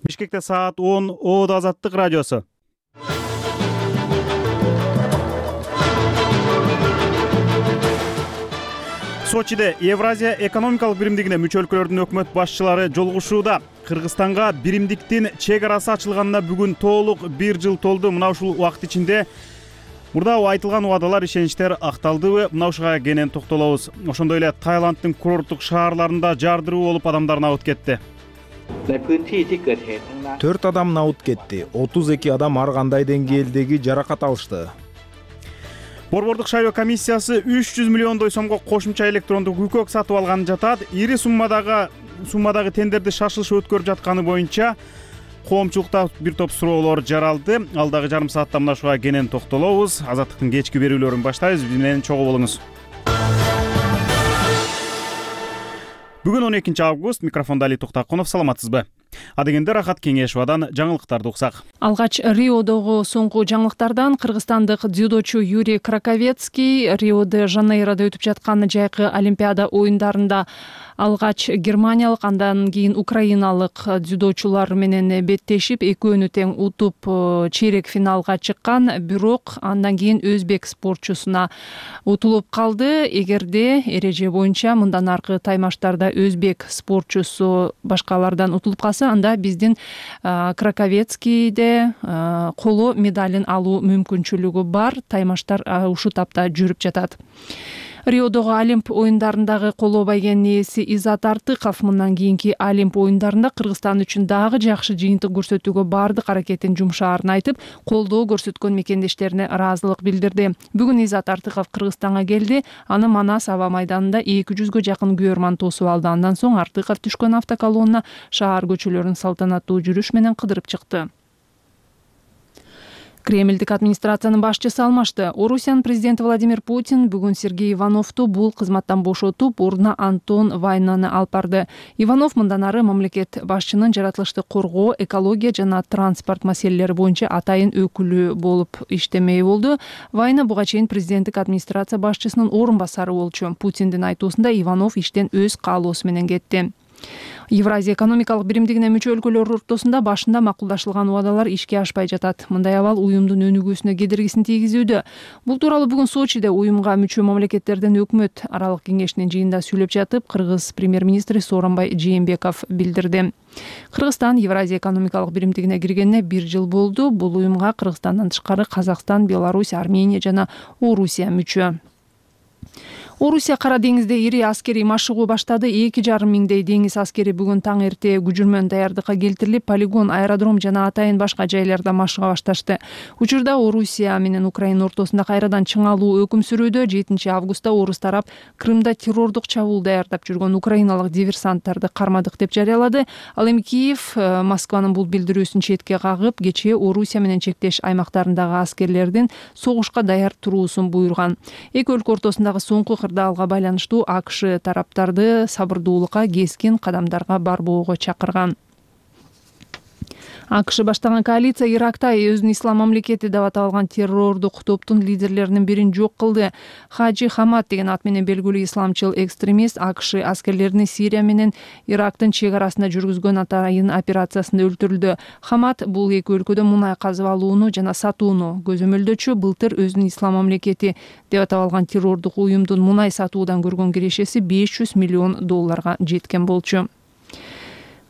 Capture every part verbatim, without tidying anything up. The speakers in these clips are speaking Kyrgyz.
Бишкекте саат он Оодо Азаттык радиосу. Сочиде Евразия экономикалык биримдигине мүчө өлкөлөрдүн өкмөт башчылары жолугушууда. Кыргызстанга биримдиктин чек арасы ачылганына бүгүн толук бир жыл толду. Мына ушул убакыт ичинде мурда айтылган убадалар, ишеничтер акталдыбы? Мына ушуга кенен токтолобуз. Ошондой эле Таиланддын курорттук шаарларында жардыруу болуп адамдар набыт кетти. төрт адам набыт кетти. отуз эки адам ар кандай деңгээлдеги жаракат алышты. Борбордук шайлоо комиссиясы үч жүз миллиондой сомго кошумча электрондук укөк сатып алган жатат. Ири суммадагы суммадагы тендерди шашылыш өткөрүп жатканы боюнча коомчулукта бир топ суроолор жаралды. Алдагы жарым саатта мына ушуга кенен токтолобуз. Азаттыктын кечки берүүлөрүн баштайбыз. Биз менен чогуу болуңуз. Бүгүн он экинчи август. Микрофондо Али Токтакунов. Саламатсызбы? Адегенде Рахат Кеңешовадан жаңылыктарды уксак. Алгач Риодогу соңку жаңылыктардан кыргызстандык дзюдочу Юрий Краковецкий Рио-де-Жанейрода өтүп жаткан жайкы Олимпиада оюндарында алгач германиялык, андан кийин украиналык дзюдочулар менен беттешип, экөөнү тең утуп чейрек финалга чыккан, бирок андан кийин өзбек спортчусуна утулуп калды. Эгерде эреже боюнча мындан аркы таймаштарда өзбек спортчусу башкалардан утулуп калса, анда биздин Краковецкийде коло медалин алуу мүмкүнчүлүгү бар. Таймаштар ушул тапта жүрүп жатат. Риодогу Олимп оюндарындагы коло байгенин ээси Изат Артыков мындан кийинки Олимп оюндарында Кыргызстан үчүн дагы жакшы жыйынтык көрсөтүүгө бардык аракетин жумшаарын айтып, колдоо көрсөткөн мекендештерине ыраазылык билдирди. Бүгүн Изат Артыков Кыргызстанга келди. Аны Манас аба майданында эки жүзгө жакын күйөрман тосуп алды. Андан соң Артыков түшкөн автоколонна шаар көчөлөрүн салтанаттуу жүрүш менен кыдырып чыкты. Кремлдик администрациянын башчысы алмашты. Орусиянын президенти Владимир Путин бүгүн Сергей Ивановду бул кызматтан бошотуп, ордуна Антон Вайнаны алып барды. Иванов мындан ары мамлекет башчынын жаратылышты коргоо, экология жана транспорт маселелери боюнча атайын өкүлү болуп иштемей болду. Вайна буга чейин президенттик администрация башчысынын орун басары болчу. Путиндин айтуусунда Иванов иштен өз каалоосу менен кетти. Евразия экономикалык биримдигине мүчө өлкөлөр ортосунда башында макулдашылган убадалар ишке ашпай жатат. Мындай абал уюмдун өнүгүүсүнө кедергисин тийгизүүдө. Бул тууралуу бүгүн Сочиде уюмга мүчө мамлекеттердин өкмөт аралык кеңешинин жыйынында сүйлөп жатып, Кыргыз премьер-министри Сооронбай Жээнбеков билдирди. Кыргызстан Евразия экономикалык биримдигине киргенине бир жыл болду. Бул уюмга Кыргызстандан тышкары Казакстан, Беларусь, Армения жана Орусия мүчө. Орусия Кара деңизде ири аскерий машыгуу баштады. эки жарым миңдей деңиз аскери бүгүн таң эрте күжүрмөн даярдыкка келтирилип, полигон, аэродром жана атайын башка жайларда машыга башташты. Учурда Орусия менен Украина ортосунда кайрадан чыңалуу өкүм сүрүүдө. жетинчи августта орус тарап Крымда террордук чабуул даярдап жүргөн украиналык диверсанттарды кармадык деп жарыялады. Ал эми Киев Москванын бул билдирүүсүн четке кагып, кечээ Орусия менен чектеш аймактарындагы аскерлердин согушка даяр туруусун буйруган. Эки өлкө ортосундагы соңку кырдаалга байланыштуу АКШ тараптарды сабырдуулукка, кескин кадамдарга барбоого чакырган. АКШ баштаган коалиция Иракта өзүн ислам мамлекети деп аталган террордук топтун лидерлеринин бирин жок кылды. Хаджи Хамад деген ат менен белгилүү исламчыл экстремист АКШ аскерлерини Сирия менен Ирактын чек арасында жүргүзгөн атайын операциясында өлтүрүлдү. Хамад бул эки өлкөдө мунай казып алууну жана сатууну көзөмөлдөчү. Былтыр өзүн ислам мамлекети деп аталган террордук уюмдун мунай сатуудан көргөн кирешеси беш жүз миллион долларга жеткен болчу.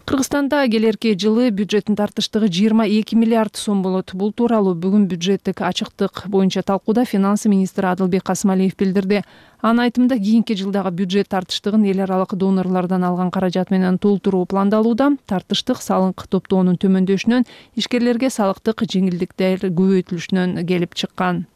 Кыргызстанда келерки жылы бюджеттин тартыштыгы жыйырма эки миллиард сом болот. Бул тууралуу бүгүн бюджеттик ачыктык боюнча талкууда финансы министри Адылбек Касымалиев билдирди. Анын айтымында кийинки жылдагы бюджет тартыштыгын эл аралык донорлордон алган каражат менен толтуруу пландалууда. Тартыштык салык топтоонун төмөндөшүнөн, ишкерлерге салыктык жеңилдиктер көбөйтүлүшүнөн келип чыккан.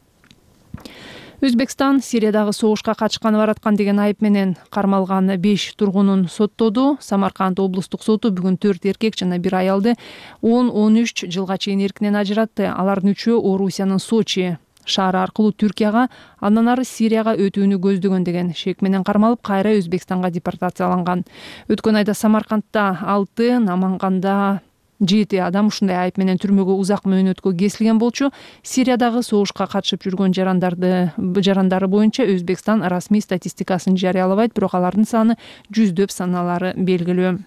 Өзбекстан Сириядагы согушка катышканы бараткан деген айып менен кармалган беш тургунун соттоду. Самарканд облустук соту бүгүн төрт эркек жана бир аялды он он үч жылга чейин эркинен ажыратты. Алардын үчөө Орусиянын Сочи шаары аркылуу Түркияга, андан ары Сирияга өтүүнү көздөгөн деген шек менен кармалып, кайра Өзбекстанга депортацияланган. Өткөн айда Самаркандда алты, Наманганда жети адам ушундай айып менен түрмөгө узак мөөнөткө кесилген болчу. Сириядагы согушка катышып жүргөн жарандарды жарандары боюнча Өзбекстан расмий статистикасын жарыялабайт, бирок алардын саны жүздөп саналары белгилүү.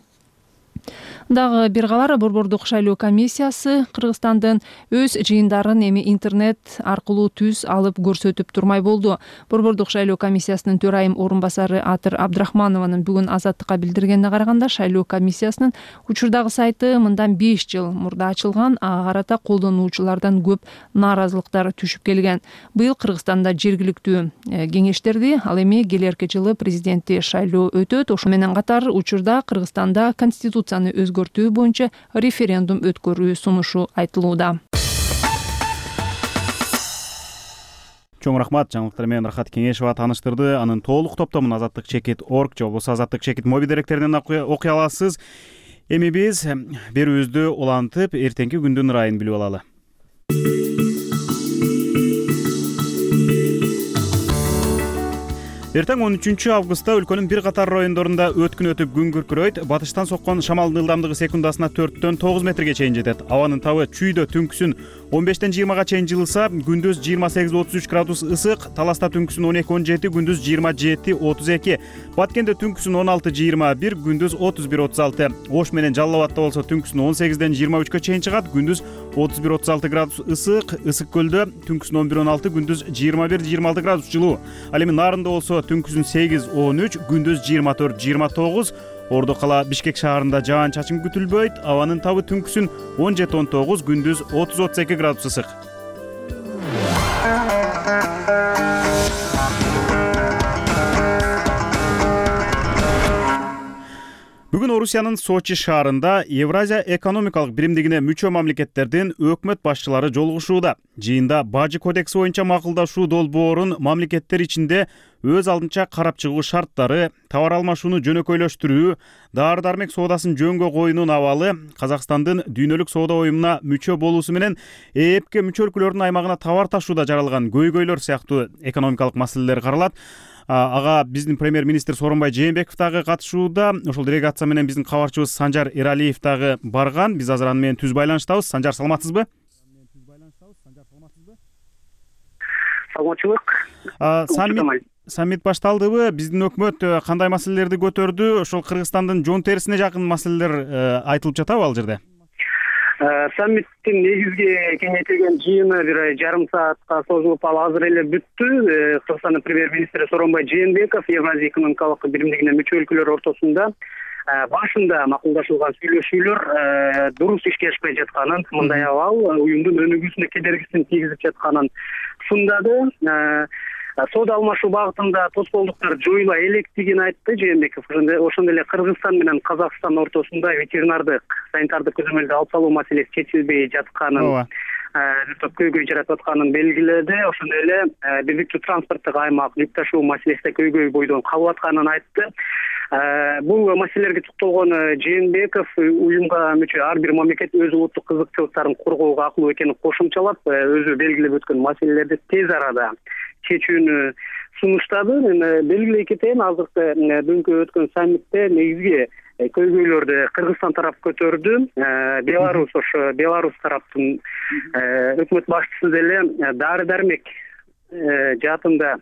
Дагы бир кабар, Борбордук шайлоо комиссиясы Кыргызстандын өз жыйындарын эми интернет аркылуу түз алып көрсөтүп турмай болду. Борбордук шайлоо комиссиясынын төрайым орун басары Атыр Абдрахманованын бүгүн Азаттыкка билдиргенине караганда, шайлоо комиссиясынын учурдагы сайты мындан беш жыл мурда ачылган, ага карата колдонуучулардан көп нааразылыктар түшүп келген. Быйыл Кыргызстанда жергиликтүү кеңештерди, ал эми келерки жылы президенттик шайлоо өтөт. Ошо менен катар учурда Кыргызстанда конституцияны өзгөртүү боюнча референдум өткөрүү сунушу айтылууда. Чоң рахмат, жаңылыктар менен Рахат Кеңешова тааныштырды. Анын толук топтомун азаттык чекит точка орг же болбосо азаттык чекит моби деректеринен окуй аласыз. Эми биз берүүбүздү улантып, эртеңки күндүн ырайын билип алалы. Эртең он үчүнчү августта өлкөнүн бир катар райондорунда өткүн өтүп күн күркүрөйт. Батыштан соккон шамалдын ылдамдыгы секундасына төрттөн тогуз метрге чейин жетет. Абанын табы чүйдө түнкүсүн он бештен жыйырмага чейин жылыса, күндүз жыйырма сегиз отуз үч градус ысык, Таласта түнкүсүн он эки он жети, күндүз жыйырма жети отуз эки, Баткенде түнкүсүн он алты жыйырма бир, күндүз отуз бир отуз алты, Ош менен Жалал Абадта болсо түнкүсүн он сегизден жыйырма үчкө чейин чыгат, күндүз отуз бир отуз алты градус ысык, Ысык көлдө түнкүсүн он бир он алты, күндүз жыйырма бир жыйырма алты градус жылуу. Ал эми Нарында болсо түнкүсүн сегиз он үч, күндүз жыйырма төрт жыйырма тогуз, Ордо кала Бишкек шаарында жаан чачын күтүлбөйт. Абанын табы түнкүсүн он жети он тогуз, күндүз отуз отуз эки градус ысык. Бүгүн Орусиянын Сочи шаарында Евразия экономикалык биримдигине мүчө мамлекеттердин өкмөт башчылары жолугушууда. Жыйында Бажы кодекси боюнча макулдашуу долбоорун мамлекеттер ичинде өз алдынча карап чыгуу шарттары, товар алмашууну жөнөкөйлөштүрүү, дары-дармек соодасын жөнгө коюунун абалы, Казакстандын дүйнөлүк соода уюмуна мүчө болуусу менен ЭЭПке мүчө өлкөлөрдүн аймагына товар ташууда жаралган көйгөйлөр сыяктуу экономикалык маселелер каралат. Ага биздин премьер-министр Сооронбай Жээнбеков дагы катышууда. Ошол делегация менен биздин кабарчыбыз Санжар Эралиев дагы барган. Биз азыр аны менен түз байланыштабыз. Санжар, саламатсызбы? Саламатчылык. Саммит саммит башталдыбы? Биздин өкмөт кандай маселелерди көтөрдү? Ошол Кыргызстандын жон терисине жакын маселелер айтылып жатабы ал жерде? Саммиттин негизги кеңейтилген жыйыны бир жарым саатка созулуп, ал азыр эле бүттү. Кыргызстандын премьер-министри Сооронбай Жээнбеков Евразия экономикалык биримдигине мүчө өлкөлөр ортосунда башында макулдашылган сүйлөшүүлөр дурус ишке ашпай жатканын, мындай абал уюмдун өнүгүүсүнө кедергисин тийгизип жатканын сундады. Соода алмашуу багытында тоскоолдуктар жоюла электигин айтты Жээнбеков. Ошондой эле Кыргызстан менен Казакстан ортосунда ветеринардык, санитардык көзөмөлдү алып салуу маселеси чечилбей жатканын, бир топ көйгөй жаратып атканын белгиледи. Ошондой эле бирдиктүү транспорттук аймак, жүк ташуу маселесинде көйгөй бойдон калып атканын айтты. Бул маселелерге токтолгон Жээнбеков уюмга мүчө ар бир мамлекет өз улуттук кызыкчылыктарын коргоого акылуу экенин кошумчалап, өзү белгилеп өткөн маселелерди тез арада чечүүнү сунуштады. Мен белгилей кетейин, азыркы дүнкү өткөн саммитте негизги көйгөйлөрдү Кыргызстан тарап көтөрдү. Беларусь, ошо Беларусь тараптын өкмөт башчысы деле дары-дармек жаатында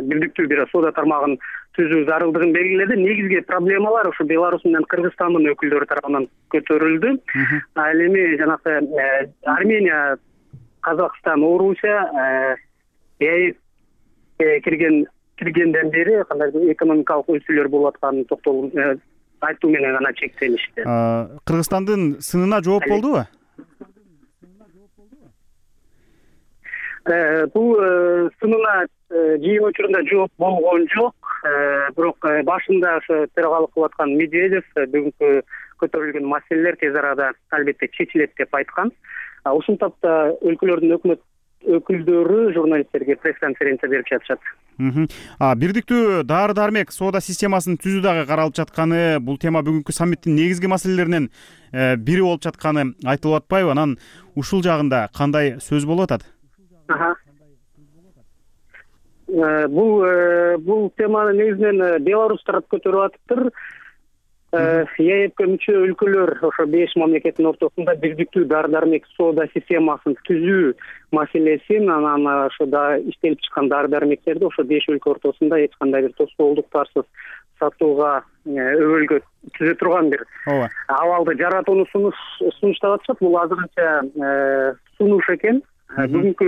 бирдиктүү бир соода тармагын түзүү зарылдыгын белгиледи. Негизги проблемалар ошо Беларусь менен Кыргызстандын өкүлдөрү тарабынан көтөрүлдү. Ал эми жанагы Армения, Казакстан, Орусия кирген киргенден бери кандай экономикалык өсүүлөр болуп атканын токтолуп айтуу менен гана чектелишти. Кыргызстандын сынына жооп болдубу? Бул сынына жыйын учурунда жооп болгон жок. Бирок башында ошо төрагалык кылып аткан Медведев бүгүнкү көтөрүлгөн маселелер тез арада албетте чечилет деп айткан. Ушул тапта өлкөлөрдүн өкмөт өкүлдөрү журналисттерге пресс-конференция берип жатышат. Бирдиктүү дары-дармек соода системасын түзүү дагы каралып жатканы, бул тема бүгүнкү саммиттин негизги маселелеринен бири болуп жатканы айтылып атпайбы? Анан ушул жагында кандай сөз болуп атат? Бул бул теманы негизинен Беларусь тарап көтөрүп атыптыр. ЕЭПке мүчө өлкөлөр ошо беш мамлекеттин ортосунда бирдиктүү дары-дармек соода системасын түзүү маселесин, анан ошо да иштелип чыккан дары-дармектерди ошо беш өлкө ортосунда эч кандай бир тоскоолдуктарсыз сатууга өбөлгө түзө турган бир ооба абалды жаратууну сунуштап атышат. Бул азырынча сунуш экен. Бүгүнкү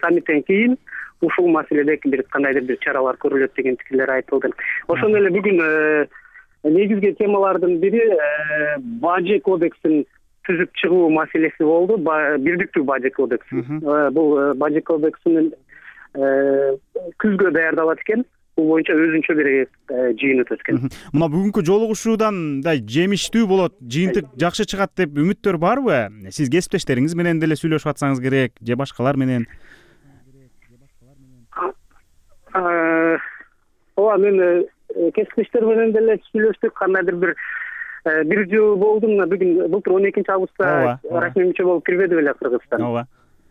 саммиттен кийин ушул маселедеги бир кандайдыр бир чаралар көрүлөт деген пикирлер айтылды. Ошондой эле бүгүн негизги темалардын бири бажы кодексин түзүп чыгуу маселеси болду. Бирдиктүү бажы кодекси. Бул бажы кодексинин күзгө даярдалат экен. Бул боюнча өзүнчө бир жыйын өтөт экен. Мына бүгүнкү жолугушуудан мындай жемиштүү болот, жыйынтык жакшы чыгат деп үмүттөр барбы? Сиз кесиптештериңиз менен деле сүйлөшүп атсаңыз керек, же башкалар менен? Ооба, мен кесиптештер менен деле сүйлөштүк. Кандайдыр бир бир жыл болду. Мына бүгүн былтыр он экинчи августта расмий мүчө болуп кирбеди беле Кыргызстан. Ооба.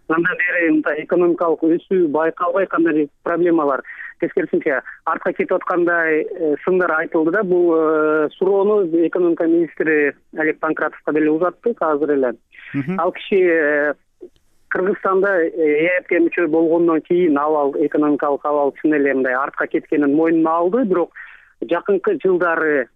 Андан бери мындай экономикалык өсүү байкалбай, кандай проблемалар тескерисинче артка кетип аткандай сындар айтылды да. Бул суроону экономика министри Олег Панкратовго деле узаттык азыр эле. Ал киши Кыргызстанда ЭЭПке мүчө болгондон кийин абал экономикалык абал чын эле мындай артка кеткенин мойнуна алды, бирок жакынкы жылдары,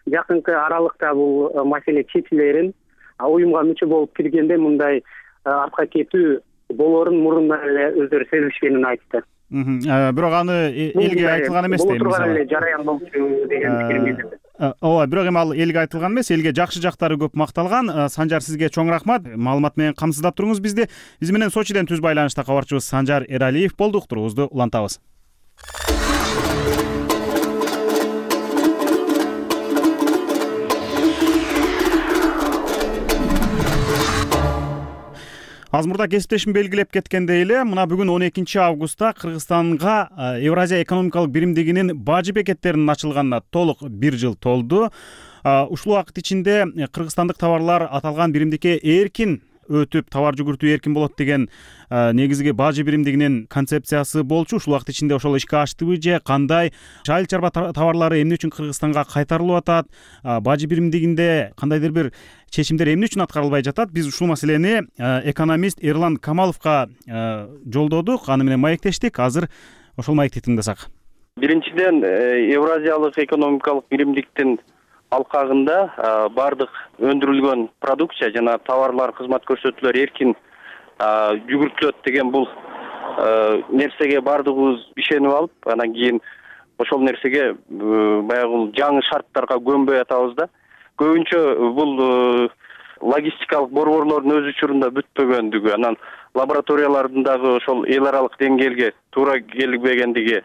жакынкы аралыкта бул маселе чечилерин, уюмга мүчө болуп киргенде мындай артка кетүү болорун мурундан эле өздөрү сезишкенин айтты. Бирок аны элге айтылган эмес дейм. Бул турган эле жараян болчу деген пикирин билдирди. Ооба, бирок эми ал элге айтылган эмес, элге жакшы жактары көп макталган. Санжар, сизге чоң рахмат. Маалымат менен камсыздап туруңуз бизди. Биз менен Сочиден түз байланышта кабарчыбыз Санжар Эралиев болду. Уктуруубузду улантабыз. Аз мурда кесиптешим белгилеп кеткендей эле, мына бүгүн он экинчи августта Кыргызстанга Евразия экономикалык биримдигинин бажы бекеттеринин ачылганына толук бир жыл толду. Ушул убакыт ичинде кыргызстандык товарлар аталган биримдикке эркин өтүп, товар жүгүртүү эркин болот деген негизги бажы биримдигинин концепциясы болчу. Ушул убакыт ичинде ошол ишке аштыбы же кандай? Айыл чарба товарлары эмне үчүн Кыргызстанга кайтарылып атат? Бажы биримдигинде кандайдыр бир чечимдер эмне үчүн аткарылбай жатат? Биз ушул маселени экономист Эрлан Камаловго жолдодук, аны менен маектештик. Азыр ошол маекти тыңдасак. Биринчиден, Евразиялык экономикалык биримдиктин алкагында бардык өндүрүлгөн продукция жана товарлар, кызмат көрсөтүүлөр эркин жүгүртүлөт деген бул нерсеге бардыгыбыз ишенип алып, анан кийин ошол нерсеге баягы жаңы шарттарга көнбөй атабыз да. Көбүнчө бул логистикалык борборлордун өз учурунда бүтпөгөндүгү, анан лабораториялардын дагы ошол эл аралык деңгээлге туура келбегендиги,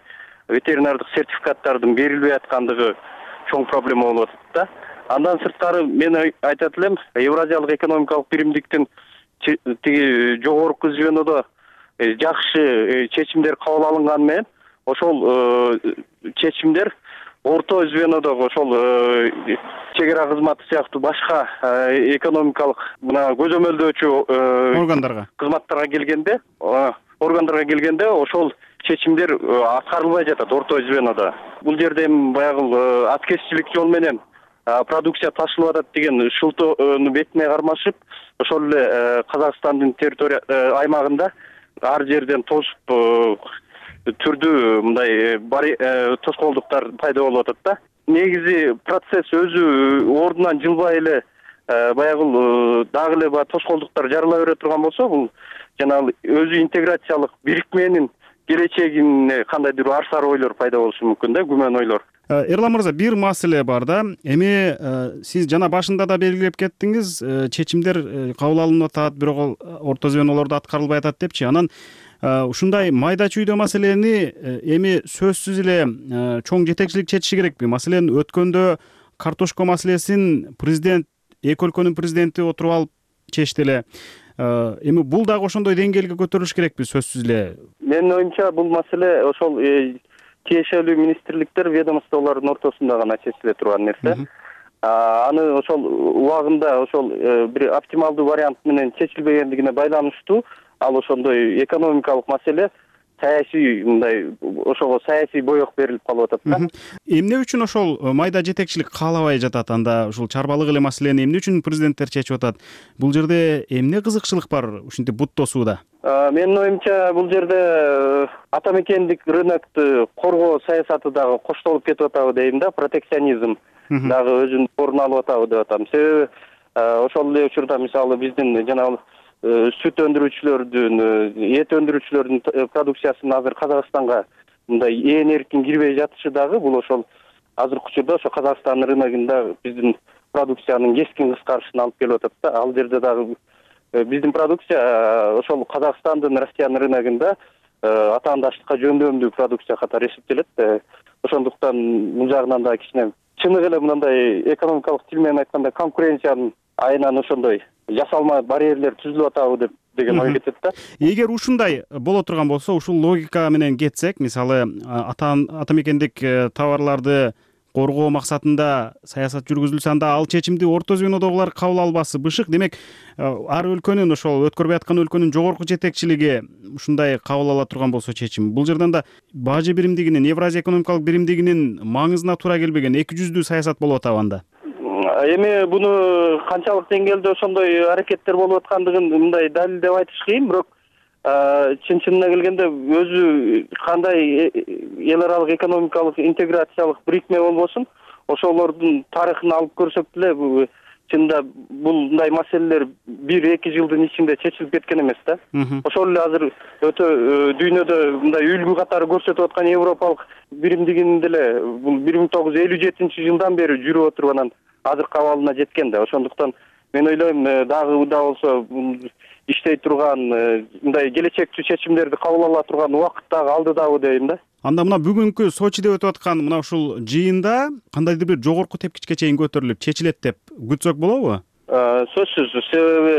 ветеринардык сертификаттардын берилбей аткандыгы чоң проблема болуп атат да. Андан сырткары мен айтат элем, Евразиялык экономикалык биримдиктин тиги жогорку звенодо жакшы чечимдер кабыл алынганы менен ошол чечимдер орто звенодогу ошол чек ара кызматы сыяктуу башка экономикалык мына көзөмөлдөөчү органдарга кызматтарга келгенде, органдарга келгенде ошол чечимдер аткарылбай жатат орто звенодо. Бул жерде эми баягы аткезчилик жол менен продукция ташылып атат деген шылтоону бетине кармашып, ошол эле Казакстандын территория аймагында ар жерден тосуп түрдүү мындай тоскоолдуктар пайда болуп атат да. Негизи процесс өзү ордунан жылбай эле баягы дагы эле баягы тоскоолдуктар жарыла бере турган болсо, бул жанагы өзү интеграциялык бирикменин келечегине кандайдыр ар сар ойлор пайда болушу мүмкүн да, күмөн ойлор. Эрлан мырза, бир маселе бар да. Эми сиз жана башында да белгилеп кеттиңиз, чечимдер кабыл алынып атат, бирок орто звенолордо аткарылбай атат депчи. Анан ушундай майда чүйдө маселени эми сөзсүз эле чоң жетекчилик чечиши керекпи? Маселен, өткөндө картошка маселесин президент, эки өлкөнүн президенти отуруп алып чечти эле. Эми бул дагы ошондой деңгээлге көтөрүлүш керекпи сөзсүз эле? Менин оюмча бул маселе ошол тиешелүү министрликтер, ведомстволордун ортосунда гана чечиле турган нерсе. Аны ошол убагында ошол бир оптималдуу вариант менен чечилбегендигине байланыштуу, ал ошондой экономикалык маселе саясий мындай ошого саясий боек берилип калып атат да. Эмне үчүн ошол майда жетекчилик каалабай жатат? Анда ушул чарбалык эле маселени эмне үчүн президенттер чечип атат? Бул жерде эмне кызыкчылык бар ушинтип бут тосууда? Менин оюмча бул жерде ата мекендик рынокту коргоо саясаты дагы коштолуп кетип атабы дейм да, протекционизм дагы өзүнүн орун алып атабы деп атам. Себеби ошол эле учурда мисалы биздин жанагы сүт өндүрүүчүлөрдүн, эт өндүрүүчүлөрдүн продукциясынын азыр Казакстанга мындай ээн эркин кирбей жатышы дагы бул ошол азыркы учурда ошо Казакстан рыногунда биздин продукциянын кескин кыскарышына алып келип атат да. Ал жерде дагы биздин продукция ошол Казакстандын, Россиянын рыногунда атаандаштыкка жөндөмдүү продукция катары эсептелет. Ошондуктан бул жагынан да кичине чыныгы эле мындай экономикалык тил менен айтканда конкуренциянын айынан ошондой жасалма барьерлер түзүлүп атабы деп деген ой кетет да. Эгер ушундай боло турган болсо, ушул логика менен кетсек, мисалы ата ата мекендик товарларды коргоо максатында саясат жүргүзүлсө, анда ал чечимди орто звенодогулар кабыл албасы бышык. Демек, ар өлкөнүн ошол өткөрбөй аткан өлкөнүн жогорку жетекчилиги ушундай кабыл ала турган болсо чечим, бул жерден да бажы биримдигинин, Евразия экономикалык биримдигинин маңызына туура келбеген эки жүздүү саясат болуп атабы анда? Эми буну канчалык деңгээлде ошондой аракеттер болуп аткандыгын мындай далилдеп айтыш кыйын, бирок чын чынына келгенде өзү кандай эл аралык экономикалык интеграциялык бирикме болбосун, ошолордун тарыхын алып көрсөк деле чынында бул мындай маселелер бир эки жылдын ичинде чечилип кеткен эмес да. Ошол эле азыр өтө дүйнөдө мындай үлгү катары көрсөтүп аткан европалык биримдигин деле бул бир миң тогуз жүз элүү жетинчи жылдан бери жүрүп отуруп анан азыркы абалына жеткен да. Ошондуктан мен ойлойм дагы да болсо иштей турган мындай келечектүү чечимдерди кабыл ала турган убакыт дагы алдыдабы дейм да. Анда мына бүгүнкү Сочиде өтүп аткан мына ушул жыйында кандайдыр бир жогорку тепкичке чейин көтөрүлүп чечилет деп күтсөк болобу? Сөзсүз, себеби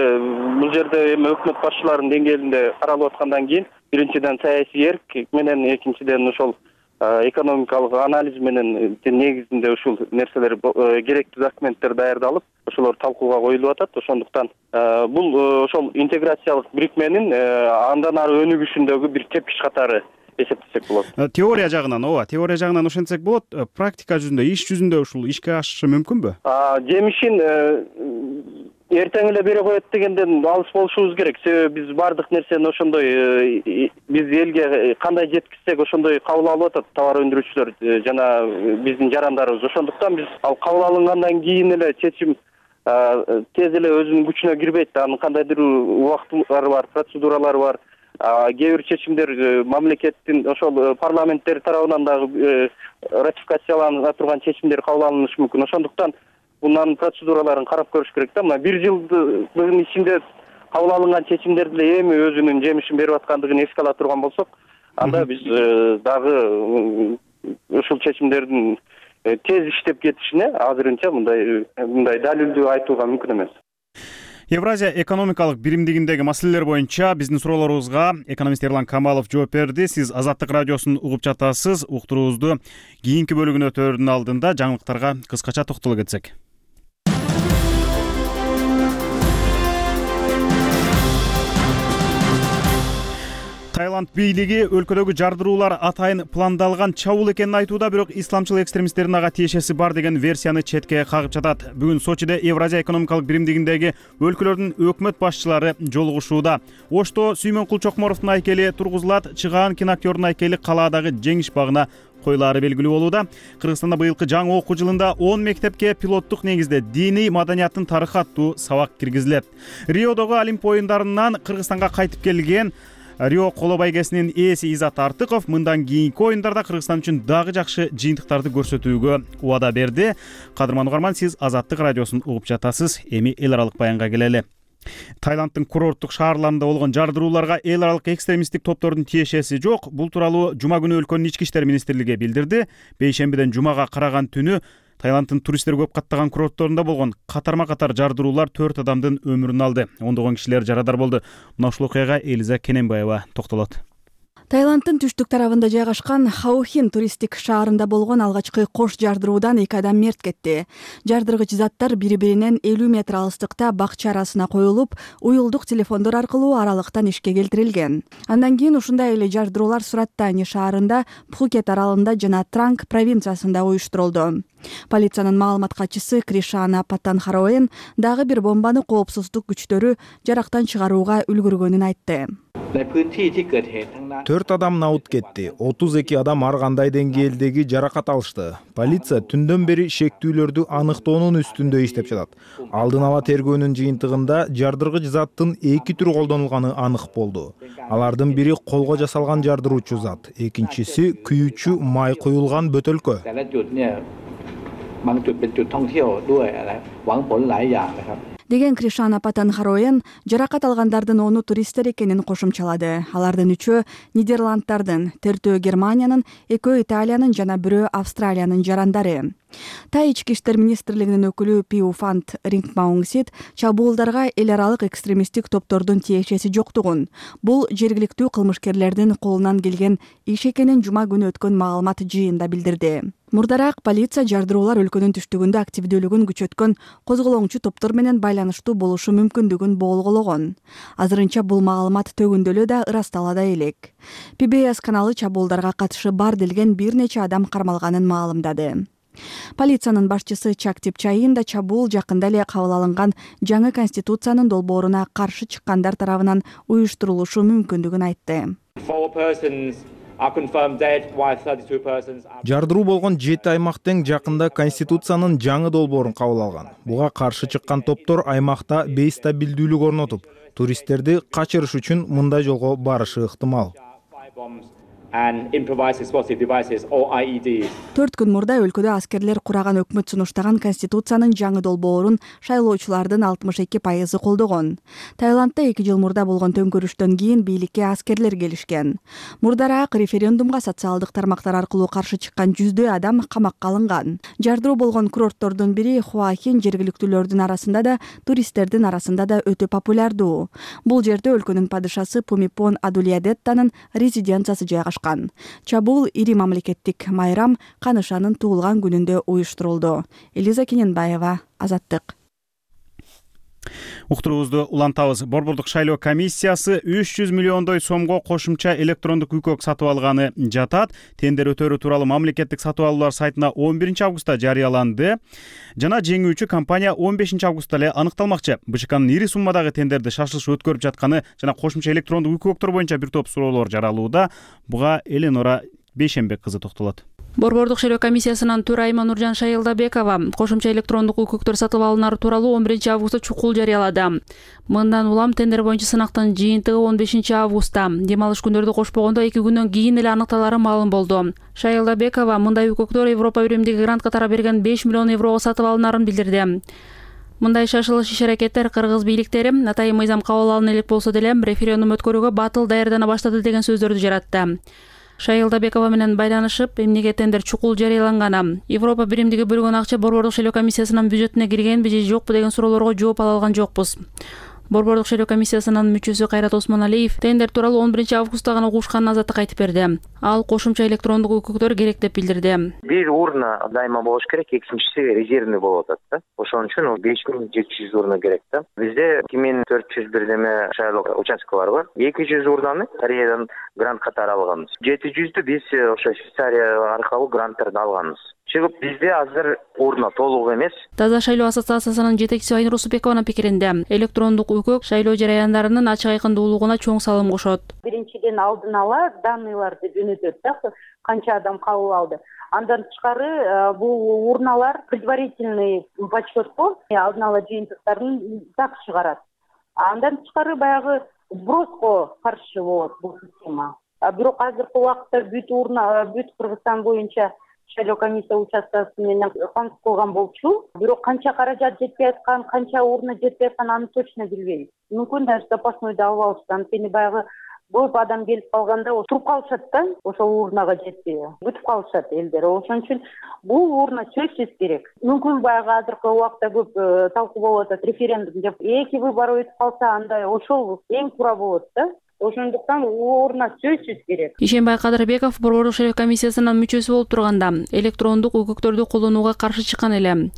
бул жерде эми өкмөт башчыларынын деңгээлинде каралып аткандан кийин биринчиден саясий эрк менен, экинчиден ошол экономикалык анализ менен негизинде ушул нерселер керектүү документтер даярдалып, ошолор талкууга коюлуп атат. Ошондуктан бул ошол интеграциялык бирикменин андан ары өнүгүшүндөгү бир тепкич катары эсептесек болот. Теория жагынан, ооба, теория жагынан ошентсек болот. Практика жүзүндө, иш жүзүндө ушул ишке ашышы мүмкүнбү? Жемишин эртең эле бере коет дегенден алыс болушубуз керек. Себеби биз бардык нерсени ошондой биз элге кандай жеткизсек ошондой кабыл алып атат товар өндүрүүчүлөр жана биздин жарандарыбыз. Ошондуктан биз ал кабыл алынгандан кийин эле чечим тез эле өзүнүн күчүнө кирбейт да. Анын кандайдыр убактылары бар, процедуралары бар. Кээ бир чечимдер мамлекеттин ошол парламенттер тарабынан дагы ратификациялана турган чечимдер кабыл алынышы мүмкүн. Ошондуктан bundan процедураларын карап көрүш керек да. Мына бир жылдын ичинде кабыл алынган чечимдер деле эми өзүнүн жемишин берип аткандыгын эске ала турган болсок, анда биз дагы ушул чечимдердин тез иштеп кетишине азырынча мындай мындай далилдүү айтууга мүмкүн эмес. Евразия экономикалык биримдигиндеги маселелер боюнча биздин суроолорубузга экономист Эрлан Камалов жооп берди. Сиз Азаттык радиосун угуп жатасыз. Уктуруубузду кийинки бөлүгүнө өтөөрдүн алдында жаңылыктарга кыскача токтоло кетсек. Таиланд бийлиги өлкөдөгү жардыруулар атайын пландалган чабуул экенин айтууда, бирок исламчыл экстремисттердин ага тиешеси бар деген версияны четке кагып жатат. Бүгүн Сочиде Евразия экономикалык биримдигиндеги өлкөлөрдүн өкмөт башчылары жолугушууда. Ошто Сүймөнкул Чокморовдун айкели тургузулат, Чыгаан киноактердун айкели калаадагы Жеңиш багына коюлаары белгилүү болууда. Кыргызстанда быйылкы жаңы окуу жылында он мектепке пилоттук негизде диний маданияттын тарыхы аттуу сабак киргизилет. Риодогу Олимп оюндарынан Кыргызстанга кайтып келген Рио коло байгесинин ээси Изат Артыков мындан кийинки оюндарда Кыргызстан үчүн дагы жакшы жыйынтыктарды көрсөтүүгө убада берди. Кадырман угарман, сиз Азаттык радиосун угуп жатасыз. Эми эл аралык баянга келели. Таиланддын курорттук шаарларында болгон жардырууларга эл аралык экстремисттик топтордун тиешеси жок. Бул тууралуу жума күнү өлкөнүн ички иштер министрлиги билдирди. Бейшембиден жумага караган түнү Таиланддын туристтер көп каттаган курортторунда болгон катарма-катар жардыруулар төрт адамдын өмүрүн алды. Ондогон кишилер жарадар болду. Мына ушул окуяга Элиза Кененбаева токтолот. Таиланддын түштүк тарабында жайгашкан Хаохин туристтик шаарында болгон алгачкы кош жардыруудан эки адам мерт кетти. Жардыргыч заттар бири-биринен элүү метр алыстыкта бакча арасына коюлуп, уюлдук телефондор аркылуу аралыктан ишке келтирилген. Андан кийин ушундай эле жардыруулар Сураттани шаарында, Пхукет аралында жана Транг провинциясында уюштурулду. Полициянын маалымат катчысы Кришана Паттанхароен дагы бир бомбаны коопсуздук күчтөрү жарактан чыгарууга үлгүргөнүн айтты. төрт адам наут кетти, отуз эки адам ар кандай деңгээлдеги жаракат алышты. Полиция түндөн бери шектүүлөрдү аныктоонун үстүндө иштеп жатат. Алдын ала тергөөнүн жыйынтыгында жардыргыч заттын эки түрү колдонулганы анык болду. Алардын бири колго жасалган жардыруучу зат, экинчиси күйүүчү май куюлган бөтөлкө. Деген Кришана Паттанхароен жаракат алгандардын ону туристтер экенин кошумчалады. Алардын үчөө Нидерланддардын, төртөө Германиянын, экөө Италиянын жана бирөө Австралиянын жарандары. Тай ички иштер министрлигинин өкүлү Пиу Фант Рингмаунгсит чабуулдарга эл аралык экстремисттик топтордун тиешеси жоктугун, бул жергиликтүү кылмышкерлердин колунан келген иш экенин жума күнү өткөн маалымат жыйында билдирди. Мурдараак полиция жардыруулар өлкөнүн түштүгүндө активдүүлүгүн күчөткөн козголоңчу топтор менен байланыштуу болушу мүмкүндүгүн болгоологон. Азырынча бул маалымат төгүндөлө да ырастала да элек. Пи Би Эс каналы чабуулдарга катышы бар делген бир нече адам кармалганын маалымдады. Полициянын башчысы Чактип Чайын да чабуул жакында эле кабыл алынган жаңы конституциянын долбооруна каршы чыккандар тарабынан уюштурулушу мүмкүндүгүн айтты. Жардыруу болгон жети аймак тең жакында конституциянын жаңы долбоорун кабыл алган. Буга каршы чыккан топтор аймакта бейстабилдүүлүк орнотуп, туристтерди качырыш үчүн мындай жолго барышы ыктымал. төрт күн мурда өлкөдө аскерлер кураган өкмөт сунуштаган конституциянын жаңы долбоорун шайлоочулардын алтымыш эки пайызы колдогон. Таиландда эки жыл мурда болгон төңкөрүштөн кийин бийликке аскерлер келишкен. Мурдараак референдумга социалдык тармактар аркылуу каршы чыккан жүздөй адам камакка алынган. Жардыруу болгон курорттордун бири Хуахин жергиликтүүлөрдүн арасында да, туристтердин арасында да өтө популярдуу. Бул жерде өлкөнүн падышасы Пумипон Адулиадеттанын резиденциясы жайгашкан. Чабуул ири мамлекеттик майрам Канышанын туулган күнүндө уюштурулду. Элиза Кененбаева, Азаттык. Уктуруубузду улантабыз. Борбордук шайлоо комиссиясы үч жүз миллиондой сомго кошумча электрондук үй-көк сатып алганы жатат. Тендер өтөрү тууралуу мамлекеттик сатып алуулар сайтына он биринчи августта жарыяланды. Жана жеңүүчү компания он бешинчи августта эле аныкталмакчы. Бэ Ж Кнын ири суммадагы тендерди шашылыш өткөрүп жатканы жана кошумча электрондук үй-көктөр боюнча бир топ суроолор жаралууда. Буга Эленора Бейшенбек кызы токтолот. Борбордук шайлоо комиссиясынын төрайымы Нуржан Шайылдабекова кошумча электрондук үй-көктөр сатып алынары тууралуу он биринчи августта чукул жарыялады. Мындан улам тендер боюнча сынактын жыйынтыгы он бешинчи августта, дем алыш күндөрдү кошпогондо эки күндөн кийин эле аныкталары маалым болду. Шайылдабекова мындай үй-көктөр Европа биримдиги грант катары берген беш миллион еврого сатып алынарын билдирди. Мындай шашылыш иш-аракеттер кыргыз бийликтери атайын мыйзам кабыл алына элек болсо деле референдум өткөрүүгө батыл даярдана баштады деген сөздөрдү жаратты. Шайылдабекова менен байланышып, эмнеге тендер чукул жарыяланганы, Европа биримдиги бөлгөн акча борбордук шайлоо комиссиясынын бюджетине киргенби же жокпу деген суроолорго жооп ала алган жокпуз. Борбордук шайлоо комиссиясынын мүчөсү Кайрат Осмоналиев тендер тууралуу он биринчи августта гана угушканын Азаттыкка айтып берди. Ал кошумча электрондук үй-көктөр керек деп билдирди. Бир урна дайыма болуш керек, экинчиси резервный болуп атат да. Ошон үчүн беш миң жети жүз урна керек да. Бизде эки миң төрт жүз бирдеме шайлоо участкалар бар. эки жүз урнаны Кореядан грант катары алганбыз. жети жүздү биз ошо Швейцария аркылуу гранттарды алганбыз. Чыгып бизде азыр урна толук эмес. Таза шайлоо ассоциациясынын жетекчиси Айнур Усупбекованын пикиринде электрондук үй-көк шайлоо жараяндарынын ачык айкындуулугуна чоң салым кошот. Биринчиден алдын ала данныйларды жөнөтөт да, канча адам кабыл алды. Андан тышкары бул урналар предварительный подсчетко алдын ала жыйынтыктарын так чыгарат. Андан тышкары баягы сброско каршы болот бул система. Бирок азыркы убакытта бүт урна, бүт Кыргызстан боюнча шайлоо комиссия участкасы менен камсыз кылган болчу. Бирок канча каражат жетпей аткан, канча урна жетпей аткан, аны точно билбейм. Мүмкүн даже запасной да алып алышты. Анткени баягы көп адам келип калганда туруп калышат да, ошол урнага жетпей. Бүтүп калышат элдер. Ошон үчүн бул урна сөзсүз керек. Мүмкүн баягы азыркы убакытта көп талкуу болуп атат референдум деп. Эки выбор өтүп калса, андай ошол эң туура болот да. ошондуктан ордуна сөзсүз керек. Ишенбай Кадырбеков борбордук шериф комиссиясынын мүчөсү болуп турганда электрондук өкүктөрдү колдонууга каршы чыккан эле.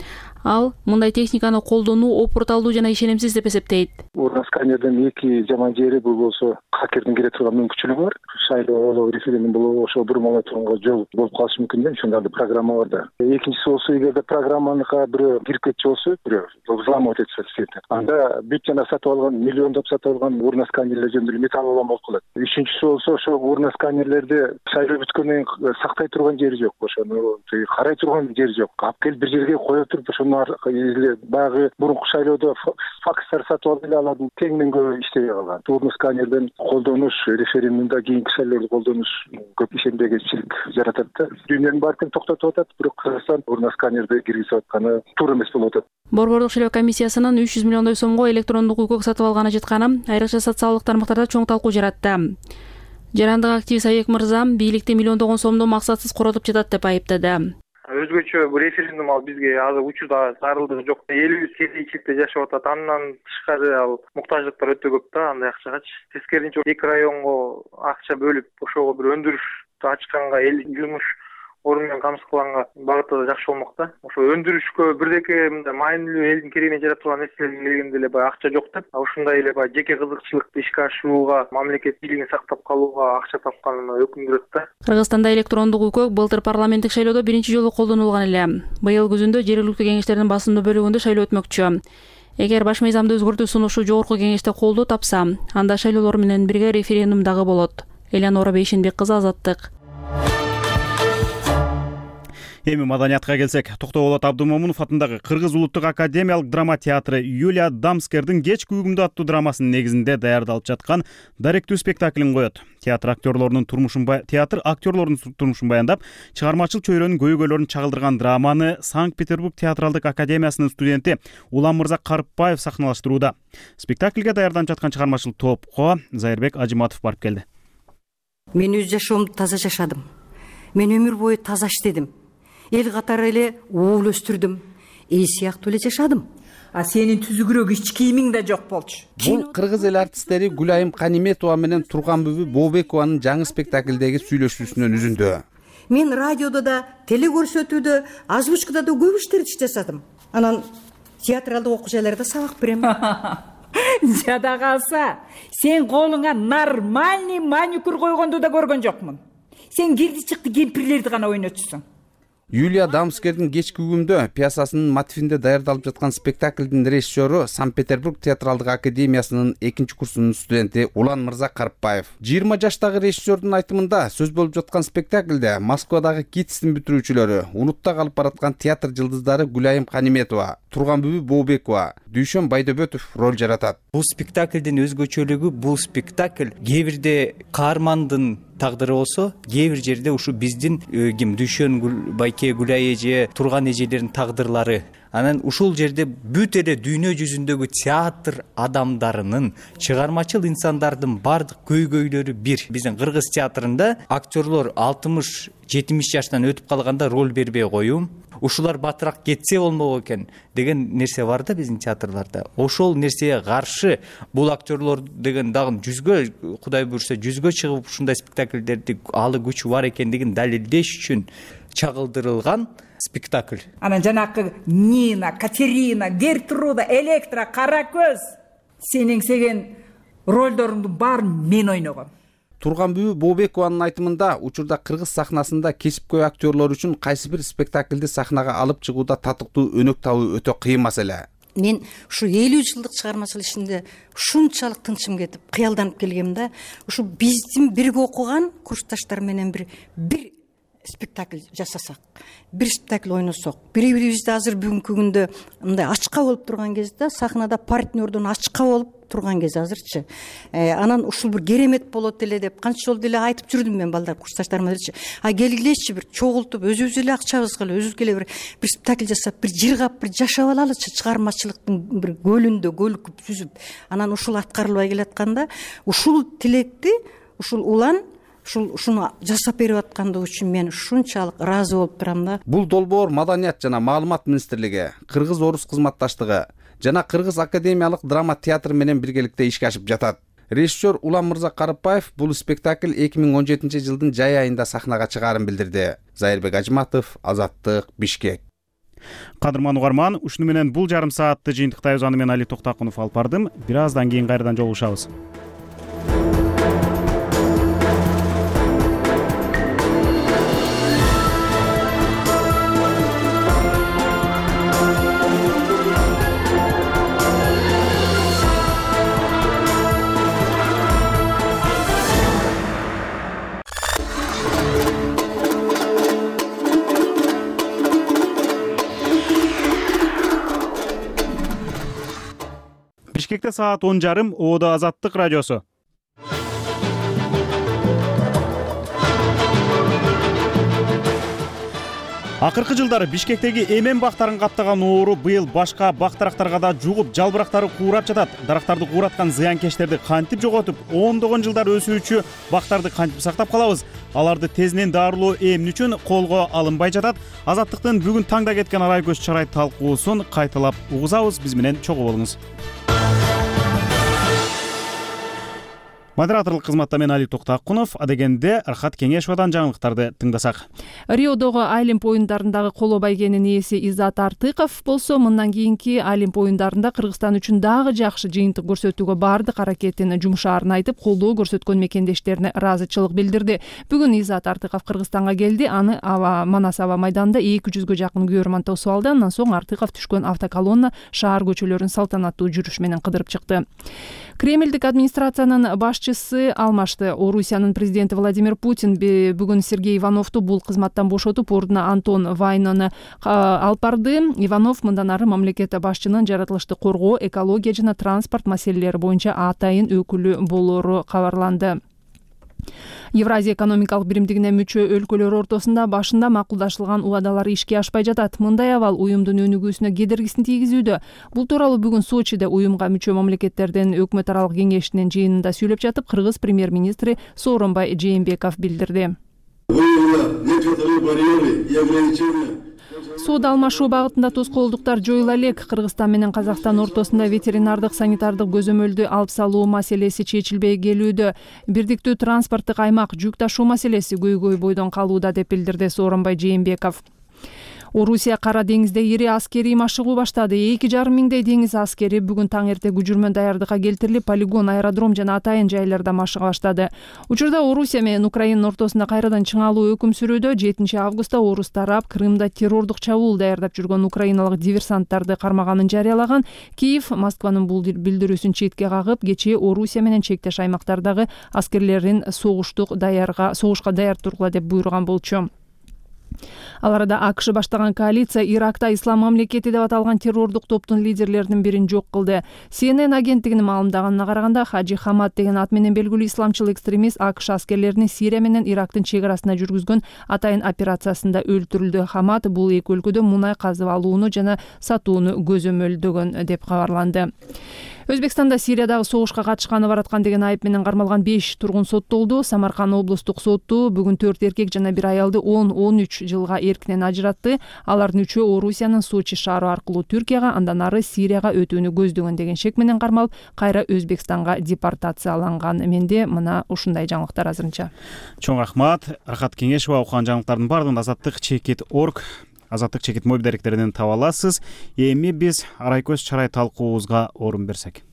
Ал мындай техниканы колдонуу опурталдуу жана ишенимсиз деп эсептейт. Урна сканердин эки жаман жери бул болсо хакердин кире турган мүмкүнчүлүгү бар. Шайлоо болобу, референдум болобу ошо бурмалай турганга жол болуп калышы мүмкүн да, ошондой программа бар да. Экинчиси болсо эгерде программаныкка бирөө кирип кетчү болсо, бирөө взламывать этсе сетин. Анда бүт жана сатып алган, миллиондоп сатып алган урна сканерлер жөнүндө металл улам болуп калат. Үчүнчүсү болсо ошо урна сканерлерде шайлоо бүткөндөн кийин сактай турган жери жок, ошону карай турган жери жок. Алып келип бир жерге кое туруп ошону эле багы мурунку шайлоодо факстар сатып алып эле алардын кеңинен көбү иштебей калган. Урна сканерден колдонуш референдумда кийинки шайлоодо колдонуш көп ишенбегенчилик жаратат да. Дүйнөнүн баары тең токтотуп атат, бирок Кыргызстан урна сканерди киргизип атканы туура эмес болуп атат. Борбордук шериф комиссиясынын үч жүз миллиондой сомго электрондук укук сатып алганы жетканы айрыкча социалдык тармактарда чоң талкуу жаратты. Жарандык активист Айек мырза бийликти миллиондогон сомду максатсыз коротуп жатат деп айыптады. Өзгөчө бул референдум ал бизге азыр учурда зарылдыгы жок. Элибиз кедейчиликте жашап атат. Андан тышкары ал муктаждыктар өтө көп да андай акчагачы. Тескерисинче эки районго акча бөлүп, ошого бир өндүрүштү ачканга, эл жумуш орун менен камсыздалганга багытта да жакшы болмок да. Ошо өндүрүшкө бирдеке мындай маанилүү элдин керегине жарата турган нерселерге келгенде эле баягы акча жок деп, ушундай эле баягы жеке кызыкчылыкты ишке ашырууга, мамлекет бийлигин сактап калууга акча тапканына өкүндүрөт да. Кыргызстанда электрондук укук былтыр парламенттик шайлоодо биринчи жолу колдонулган эле. Быйыл күзүндө жергиликтүү кеңештердин басымдуу бөлүгүндө шайлоо өтмөкчү. Эгер баш мыйзамды өзгөртүү сунушу жогорку кеңеште колдоо тапса, анда шайлоолор менен бирге референдум дагы болот. Элянора Бейшенбек кызы, Азаттык. Эми маданиятка келсек, Токтоболот Абдымомунов атындагы Кыргыз улуттук академиялык драма театры Юлия Дамскердин Кечки угумду аттуу драмасынын негизинде даярдалып жаткан даректүү спектаклин коет. Театр актерлорунун турмушун театр актерлорунун турмушун баяндап, чыгармачыл чөйрөнүн көйгөйлөрүн чагылдырган драманы Санкт-Петербург театралдык академиясынын студенти Улан Мырза Карпбаев сахналаштырууда. Спектакльге даярданып жаткан чыгармачыл топко Зайырбек Ажыматов барып келди. Мен өз жашоомду таза жашадым. Мен өмүр бою таза иштедим. Эл катары эле уул өстүрдүм. Эл сыяктуу эле жашадым. А сенин түзүгүрөөк ич кийимиң да жок болчу. Бул кыргыз эл артисттери Гүлайым Каниметова менен Турганбүбү Бообекованын жаңы спектаклдеги сүйлөшүүсүнөн үзүндү. Мен радиодо да, телекөрсөтүүдө, озвучкада да көп иштерди жасадым. Анан театралдык окуу жайларда сабак берем. Жада калса, сен колуңа нормальный маникюр койгонду да көргөн жокмун. Сен кирди чыкты кемпирлерди гана ойнотчусуң. Юлия Дамскердин Кечки угумду пьесасынын мотивинде даярдалып жаткан спектаклдин режиссеру Санкт-Петербург театралдык академиясынын экинчи курсунун студенти Улан Мырза Карпбаев. жыйырма жаштагы режиссердун айтымында сөз болуп жаткан спектаклде Москвадагы КИТСтин бүтүрүүчүлөрү, унутта калып бараткан театр жылдыздары Гүлайым Каниметова, Турганбүбү Бообекова, Дүйшөн Байдөбөтов роль жаратат. Бул спектаклдин өзгөчөлүгү бул спектакль кээ бирде каармандын тагдыры болсо, кээ бир жерде ушу биздин ким Дүйшөн Байке Гүлай эже, Турган эжелердин тагдырлары. Анан ушул жерде бүт эле дүйнө жүзүндөгү театр адамдарынын, чыгармачыл инсандардын бардык көйгөйлөрү бир. Биздин кыргыз театрында актерлор алтымыш жетимиш жаштан өтүп калганда роль бербей коюм, ушулар батыраак кетсе болмок экен деген нерсе бар да биздин театрларда. Ошол нерсеге каршы бул актерлор деген дагы жүзгө, Кудай буйрса жүзгө чыгып ушундай спектакльдерди алы күчү бар экендигин далилдеш үчүн чагылдырылган спектакль. Анан жанакы Нина, Катерина, Гертруда, Электра, Каракөз сенин сеген ролдоруңдун баарын мен ойногом. Турганбүбү Бообекованын айтымында учурда кыргыз сахнасында кесипкөй актерлор үчүн кайсы бир спектакльди сахнага алып чыгууда татыктуу өнөк табуу өтө кыйын маселе. Мен ушу элүү жылдык чыгармачылык ишинде ушунчалык тынчым кетип, кыялданып келгем да, ушу биздин бирге окуган курсташтар менен бир бир спектакль жасасак, бир спектакль ойносок, бири-бирибизди азыр бүгүнкү күндө мындай ачка болуп турган кезде, сахнада партнердон ачка болуп турган кез азырчы. Анан ушул бир керемет болот эле деп канча жолу деле айтып жүрдүм мен балдар курсташтарыма делчи. А келгилечи бир чогултуп өзүбүз эле акчабызга эле өзүбүз эле бир бир спектакль жасап, бир жыргап, бир жашап алалычы, чыгармачылыктын бир көлүндө көлүкүп сүзүп. Анан ушул аткарылбай келатканда, ушул тилекти ушул Улан ушул ушуну жасап берип аткандыгы үчүн мен ушунчалык ыраазы болуп турам да. Бул долбоор Маданият жана маалымат министрлиги, Кыргыз-Орус кызматташтыгы жана Кыргыз академиялык драма театр менен биргеликте ишке ашып жатат. Режиссер Улан Мырза Карыпбаев бул спектакль эки миң он жетинчи жылдын жай айында сахнага чыгаарын билдирди. Зайырбек Ажыматов, Азаттык, Бишкек. Кадырман угарман, ушуну менен бул жарым саатты жыйынтыктайбыз. Аны мен Али Токтакунов алып бардым. Бир аздан кийин кайрадан жолугушабыз. Бишкекте саат он жарым, Оодо Азаттык радиосу. Акыркы жылдары Бишкектеги эмен бактарын каптаган оору быйыл башка бак-дарактарга да жугуп, жалбырактары куурап жатат. Дарактарды куураткан зыянкечтерди кантип жоготуп, ондогон жылдар өсүүчү бактарды кантип сактап калабыз? Аларды тезинен дарылоо эмне үчүн колго алынбай жатат? Азаттыктын бүгүн таңда кеткен арай көз чарай талкуусун кайталап угузабыз. Биз менен чогуу болуңуз. Модераторлук кызматта мен Али Токтакунов, адегенде Рахат Кеңешовадан жаңылыктарды тыңдасак. Риодогу Олимп оюндарындагы коло байгенин ээси Иззат Артыков болсо, мындан кийинки Олимп оюндарында Кыргызстан үчүн дагы жакшы жыйынтык көрсөтүүгө бардык аракетин жумшаарын айтып, колдоо көрсөткөн мекендештерине ыраазычылык билдирди. Бүгүн Иззат Артыков Кыргызстанга келди. Аны аба Манас аба майданында эки жүзгө жакын көрөрман тосуп алды. Андан соң Артыков түшкөн автоколонна шаар көчөлөрүн салтанаттуу жүрүш менен кыдырып чыкты. Кремлдик администрациянын башчысы алмашты. Орусиянын президенти Владимир Путин бүгүн Сергей Ивановду бул кызматтан бошотуп, ордуна Антон Вайнаны алып барды. Иванов мындан ары мамлекет башчынын жаратылышты коргоо, экология жана транспорт маселелери боюнча атайын өкүлү болору кабарланды. Евразия экономикалык биримдигине мүчө өлкөлөр ортосунда башында макулдашылган убадалар ишке ашпай жатат. Мындай абал уюмдун өнүгүүсүнө кедергисин тийгизүүдө. Бул тууралуу бүгүн Сочиде уюмга мүчө мамлекеттердин өкмөт аралык кеңешинин жыйынында сүйлөп жатып, Кыргыз премьер-министри Сооронбай Жээнбеков билдирди. Соода алмашуу багытында тоскоолдуктар жоюла элек. Кыргызстан менен Казакстан ортосунда ветеринардык санитардык көзөмөлдү алып салуу маселеси чечилбей келүүдө. Бирдиктүү транспорттук аймак, жүк ташуу маселеси көйгөй бойдон калууда деп билдирди Сооронбай Жээнбеков. Орусия Кара деңизде ири аскерий машыгуу баштады. эки жарым миңдей деңиз аскери бүгүн таң эрте күжүрмө даярдыкка келтирилип, полигон, аэродром жана атайын жайларда машыга баштады. Учурда Орусия менен Украинанын ортосунда кайрадан чыңалуу өкүм сүрүүдө. жетинчи августта орус тарап Крымда террордук чабуул даярдап жүргөн украиналык диверсанттарды кармаганын жарыялаган. Киев Москванын бул билдирүүсүн четке кагып, кечээ Орусия менен чектеш аймактардагы аскерлерин согуштук даярга, согушка даяр тургула деп буйруган болчу. Ал арада АКШ баштаган коалиция Иракта Ислам мамлекети деп аталган террордук топтун лидерлеринин бирин жок кылды. Си Эн Эн агенттигинин маалымдаганына караганда, Хаджи Хамад деген ат менен белгилүү исламчыл экстремист АКШ аскерлерини Сирия менен Ирактын чек арасына жүргүзгөн атайын операциясында өлтүрүлдү. Хамад бул эки өлкөдө мунай казып алууну жана сатууну көзөмөлдөгөн деп кабарланды. Өзбекстанда Сириядагы согушка катышканы бараткан деген айып менен кармалган беш тургун соттолду. Самарканд облустук соту бүгүн төрт эркек жана бир аялды он он үч жылга эркинен ажыратты. Алардын үчөө Орусиянын Сочи шаары аркылуу Түркияга, андан ары Сирияга өтүүнү көздөгөн деген шек менен кармалып, кайра Өзбекстанга депортацияланган. Менде мына ушундай жаңылыктар азырынча. Чоң рахмат. Рахат Кеңешова окуган жаңылыктардын баардыгын Азаттык чекит точка орг Азаттык чекит мобил даректеринен таба аласыз. Эми биз арай көз чарай талкуубузга орун берсек.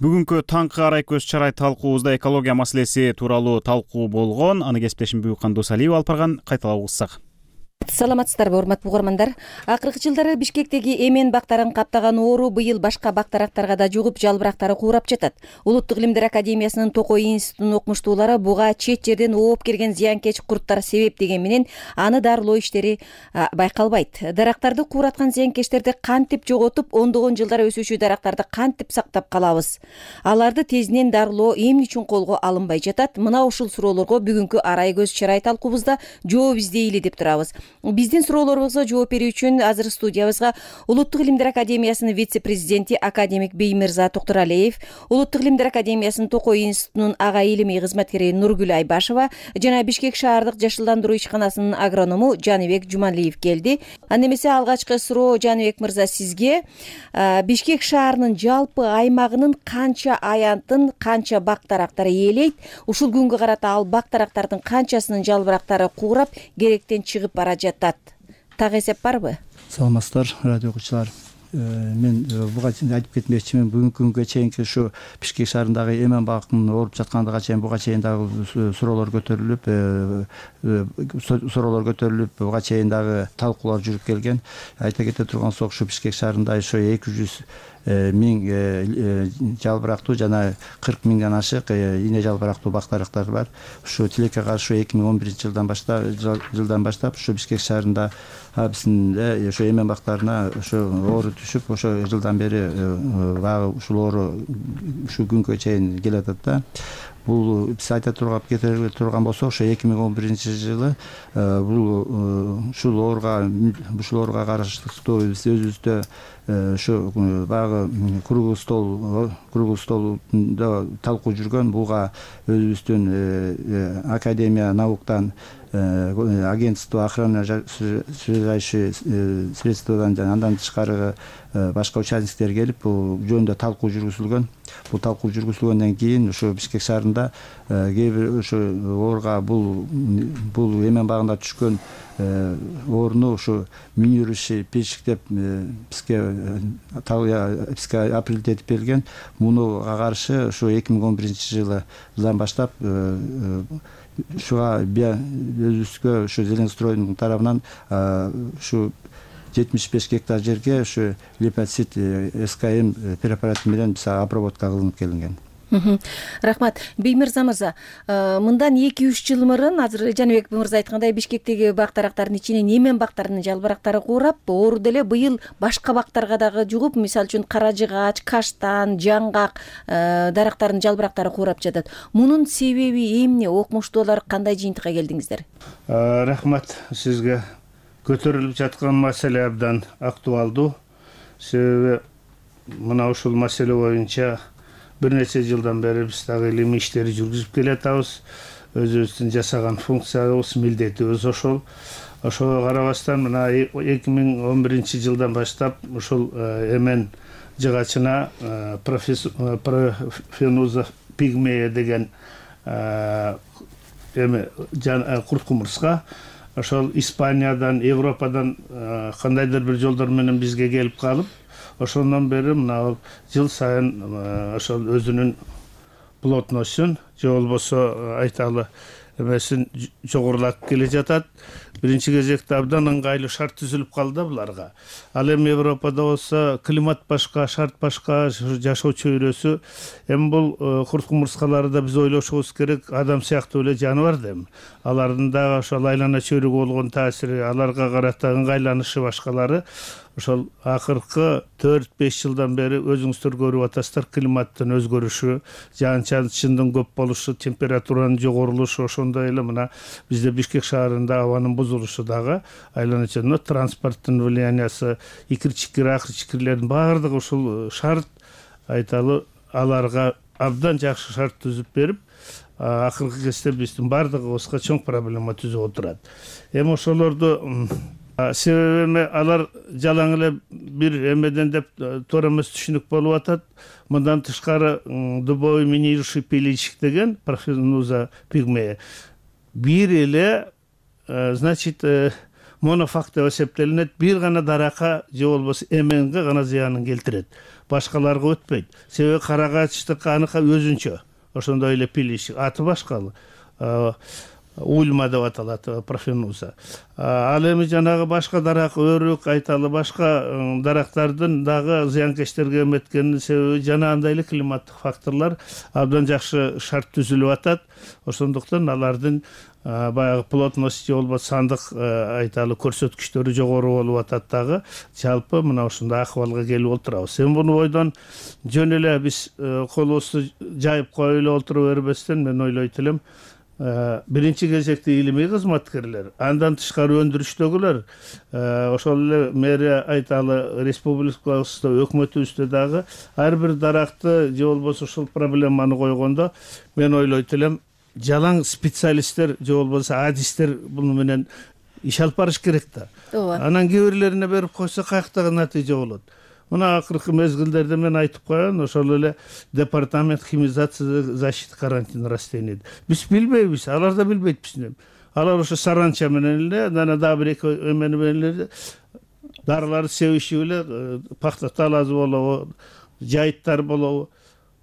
Бүгүнкү таңкы арай көз чарай талкуубузда экология маселеси тууралуу талкуу болгон. Аны кесиптешим Буюкан Досалиева алып барган. Кайталап угуссак. Саламатсыздарбы, урматтуу угармандар. Акыркы жылдары Бишкектеги эмен бактарын каптаган оору быйыл башка бак-дарактарга да жугуп, жалбырактары куурап жатат. Улуттук илимдер академиясынын Токой институтунун окумуштуулары буга чет жерден ооп келген зыянкеч курттар себеп деген менен аны дарылоо иштери байкалбайт. Дарактарды куураткан зыянкечтерди кантип жоготуп, ондогон жылдар өсүүчү дарактарды кантип сактап калабыз? Аларды тезинен дарылоо эмне үчүн колго алынбай жатат? Мына ушул суроолорго бүгүнкү арай көз чарай талкуубузда жооп издейли деп турабыз. биздин суроолорубузга жооп берүү үчүн азыр студиябызга Улуттук илимдер академиясынын вице-президенти академик Беймирза Токтуралиев, Улуттук илимдер академиясынын Токой институтунун ага илимий кызматкери Нургүл Айбашева жана Бишкек шаардык жашылдандыруу ишканасынын агроному Жаныбек Жумалиев келди. Анда эмесе алгачкы суроо Жаныбек мырза сизге. Бишкек шаарынын жалпы аймагынын канча аянтын, канча бак-дарактары ээлейт? Ушул күнгө карата ал бак-дарактардын канчасынын жалбырактары куурап, керектен чыгып бара жатат? Так эсеп барбы? Саламатсыздар, радио окуучулар. Мен буга чейин айтып кетмекчимин, бүгүнкү күнгө чейинки ушу Бишкек шаарындагы эмен бактын ооруп жаткандыга чейин буга чейин дагы суроолор көтөрүлүп, суроолор көтөрүлүп, буга чейин дагы талкуулар жүрүп келген. Айта кете турган болсок, ушу Бишкек шаарында ошо эки жүз миң жалбырактуу жана кырк миңден ашык ийне жалбырактуу бак-дарактар бар. Ушу тилекке каршы эки миң он биринчи жылдан баштап жылдан баштап ушу Бишкек шаарында биздин ошо эмен бактарына ошо оору түшүп, ошо жылдан бери багы ушул оору ушул күнгө чейин келатат да. Бул биз айта турган кетире турган болсок, ошо эки миң он биринчи жылы бул ушул ооруга ушул ооруга караштуу биз өзүбүздө ошо баягы круглый стол круглый столдо талкуу жүргөн. Буга өзүбүздүн академия науктан, агентство охраны связующие средстводан жана андан тышкары башка участниктер келип, бул жөнүндө талкуу жүргүзүлгөн. Бул талкуу жүргүзүлгөндөн кийин ошо Бишкек шаарында кээ бир ошо ооруга бул бул эмен багында түшкөн орну ошо минирующий печик деп бизге бизге аппарат этип берилген. Мунуга каршы ошо эки миң он биринчи жылдан баштап ушуга өзүбүзгө ошо Зеленстройдун тарабынан ушу жетимиш беш гектар жерге ушу липоцит СКМ препараты менен биз обработка кылынып келинген. Рахмат. Беймирза мырза, мындан эки үч жыл мурун азыр Жаныбек мырза айткандай Бишкектеги бак-дарактардын ичинен эмен бактарынын жалбырактары куурап, оору деле быйыл башка бактарга дагы жугуп, мисалы үчүн кара жыгач, каштан, жаңгак дарактарынын жалбырактары куурап жатат. Мунун себеби эмне? Окумуштуулар кандай жыйынтыкка келдиңиздер? Рахмат сизге. Көтөрүлүп жаткан маселе абдан актуалдуу. Себеби мына ушул маселе боюнча бир нече жылдан бери биз дагы илимий иштерди жүргүзүп келатабыз. Өзүбүздүн жасаган функциябыз, милдетибиз ошол. Ошого карабастан мына эки миң он биринчи жылдан баштап ушул эмен жыгачына профенуза пигмея деген эме курт кумурска ошол Испаниядан, Европадан кандайдыр бир жолдор менен бизге келип калып, ошондон бери мына жыл сайын ошол өзүнүн плотностун же болбосо айталы эмесин жогорулатып келе жатат. Биринчи кезекте абдан ыңгайлуу шарт түзүлүп калды да буларга. Ал эми Европада болсо климат башка, шарт башка, жашоо чөйрөсү. Эми бул курт кумурскаларды да биз ойлошубуз керек. Адам сыяктуу эле жаныбар да эми. Алардын дагы ошол айлана чөйрөгө болгон таасири, аларга карата ыңгайланышы башкалары ошол акыркы төрт беш жылдан бери өзүңүздөр көрүп атасыздар, климаттын өзгөрүшү, жаан-чачындын көп болушу, температуранын жогорулушу, ошондой эле мына бизде Бишкек шаарында абанын бузулушу дагы айлана чөйрөсү, транспорттун влияниясы, икир-чикир, акыр-чикирлердин баардыгы ушул шарт айталы аларга абдан жакшы шарт түзүп берип, акыркы кезде биздин баардыгыбызга чоң проблема түзүп отурат. Эми ошолорду себеби алар жалаң эле бир эмеден деп туура эмес түшүнүк болуп атат. Мындан тышкары дубовый минирующий пиличик деген профенуза пигмея бир эле значит монофакт деп эсептелинет. Бир гана даракка же болбосо эменге гана зыянын келтирет. Башкаларга өтпөйт. Себеби карагачтыкка аныкы өзүнчө. Ошондой эле пиличик аты башка. Ульма деп аталат, профенуза. Ал эми жанагы башка дарак, өрүк, айталы башка дарактардын дагы зыянкечтерге эметкенин себеби жана андай эле климаттык факторлор абдан жакшы шарт түзүлүп атат. Ошондуктан алардын баягы плотность же болбосо сандык айталы көрсөткүчтөрү жогору болуп атат дагы. Жалпы мына ушундай акыбалга келип отурабыз. Эми буну бойдон жөн эле биз колубузду жайып коюп эле отура бербестен мен ойлойт элем, биринчи кезекте илимий кызматкерлер, андан тышкары өндүрүштөгүлөр, ошол эле мэрия айталы республикабызда өкмөтүбүздө дагы ар бир даракты же болбосо ушул проблеманы койгондо мен ойлойт элем жалаң специалисттер же болбосо адистер буну менен иш алып барыш керек да. Ооба. Анан кээ бирлерине берип койсо каяктагы натыйжа болот. Мына акыркы мезгилдерде мен айтып коеюн, ошол эле департамент химизации защиты карантин растений. Биз билбейбиз, алар да билбейт бизден. Алар ошо саранча менен эле, анан дагы бир эки эмени менен эле дарыларды себишип эле пахта талазы болобу, жайыттар болобу.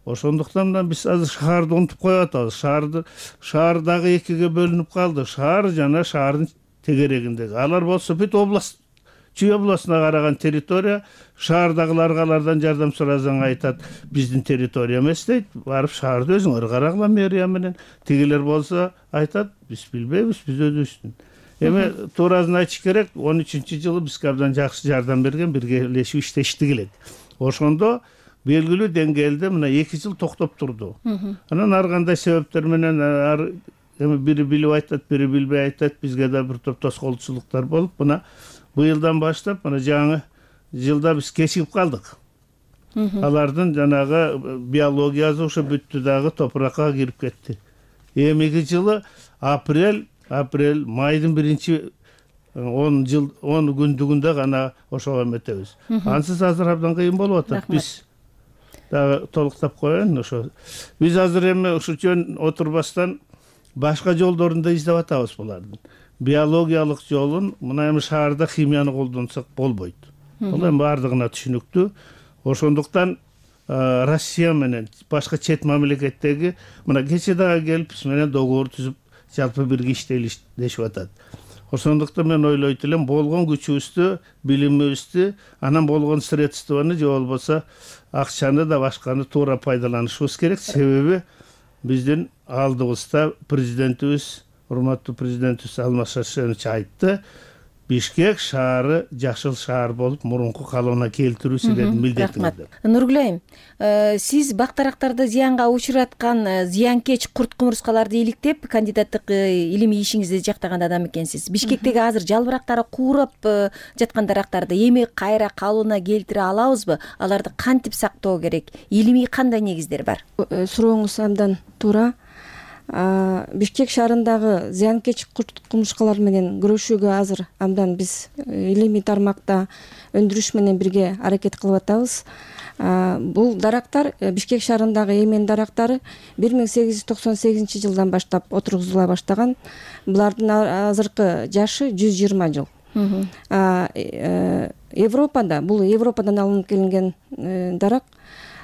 Ошондуктан да биз азыр шаарды унутуп коюп атабыз. Шаарды шаар дагы экиге бөлүнүп калды. Шаар жана шаардын тегерегиндеги. Алар болсо бүт область Чүй областына караган территория, шаардагыларга алардан жардам сурасаң айтат, биздин территория эмес дейт. Барып шаарды өзүңөр карагыла мэрия менен. Тигилер болсо айтат, биз билбейбиз, биз өзүбүздүн. Эми туурасын айтыш керек, он үчүнчү жылы бизге абдан жакшы жардам берген, биргелешип иштештик элек. Ошондо белгилүү деңгээлде мына эки жыл токтоп турду. Анан ар кандай себептер менен эми бири билип айтат, бири билбей айтат, бизге да бир топ тоскоолчулуктар болуп, мына быйылдан баштап мына жаңы жылда биз кечигип калдык. Алардын жанагы биологиясы ошо бүттү дагы топуракка кирип кетти. Эмиги жылы апрель, апрель, майдын биринчи он жыл, он күндүгүндө гана ошого эметебиз. Ансыз азыр абдан кыйын болуп атат. Биз дагы толуктап коеюн, ошо. Биз азыр эми ушу жөн отурбастан башка жолдорун да издеп атабыз булардын. Биологиялык жолун мына эми шаарда химияны колдонсок болбойт. Бул эми бардыгына түшүнүктүү. Ошондуктан Россия менен башка чет мамлекеттеги мына кече дагы келип биз менен договор түзүп жалпы бирге иштелишип атат. Ошондуктан мен ойлойт элем болгон күчүбүздү, билимибизди, анан болгон средствону же болбосо акчаны да башканы туура пайдаланышыбыз керек. Себеби биздин алдыбызда президентибиз, урматтуу президентибиз Алмаз Шаршенович айтты, Бишкек шаары жашыл шаар болуп мурунку калыбына келтирүү силердин милдетиңиз деп. Нургүл айым, сиз бактарактарды зыянга учураткан зыянкеч курт кумурскаларды иликтеп, кандидаттык илимий ишиңизди жактаган адам экенсиз. Бишкектеги азыр жалбырактары куурап жаткан дарактарды эми кайра калыбына келтире алабызбы? Аларды кантип сактоо керек? Илимий кандай негиздер бар? Сурооңуз абдан туура. Бишкек шаарындагы зыянкеч курт кумурскалар менен күрөшүүгө азыр абдан биз илимий тармакта өндүрүш менен бирге аракет кылып атабыз. Бул дарактар Бишкек шаарындагы эмен дарактары бир миң сегиз жүз токсон сегизинчи жылдан баштап отургузула баштаган. Булардын азыркы жашы жүз жыйырма жыл. Европада, бул Европадан алынып келинген дарак,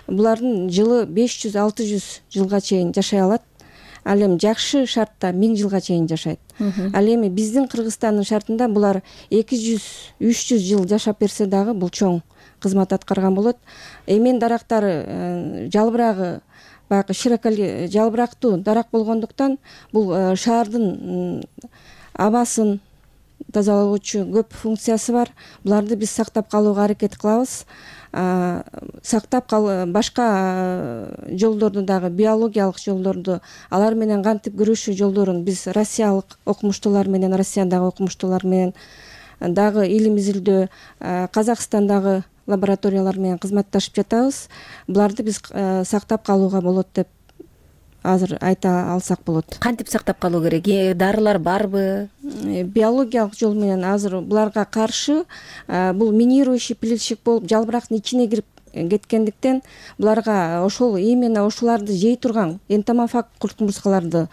булардын жылы беш жүз алты жүз жылга чейин жашай алат. Ал эми жакшы шартта миң жылга чейин жашайт. Ал эми биздин Кыргызстандын шартында булар эки жүз үч жүз жыл жашап берсе дагы бул чоң кызмат аткарган болот. Эмен дарактары жалбырагы баягы широколь жалбырактуу дарак болгондуктан бул шаардын абасын тазалоочу көп функциясы бар. Буларды биз сактап калууга аракет кылабыз. Сактап кал башка жолдорду дагы, биологиялык жолдорду, алар менен кантип күрөшүү жолдорун биз россиялык окумуштуулар менен, Россиядагы окумуштуулар менен дагы илим изилдөө, Казакстандагы лабораториялар менен кызматташып жатабыз. Буларды биз сактап калууга болот деп азыр айта алсак болот. Кантип сактап калуу керек? Дарылар барбы? Биологиялык жол менен азыр буларга каршы бул минирующий плитчик болуп жалбырактын ичине кирип кеткендиктен буларга ошол именно ошоларды жей турган энтомофаг курт кумурскаларды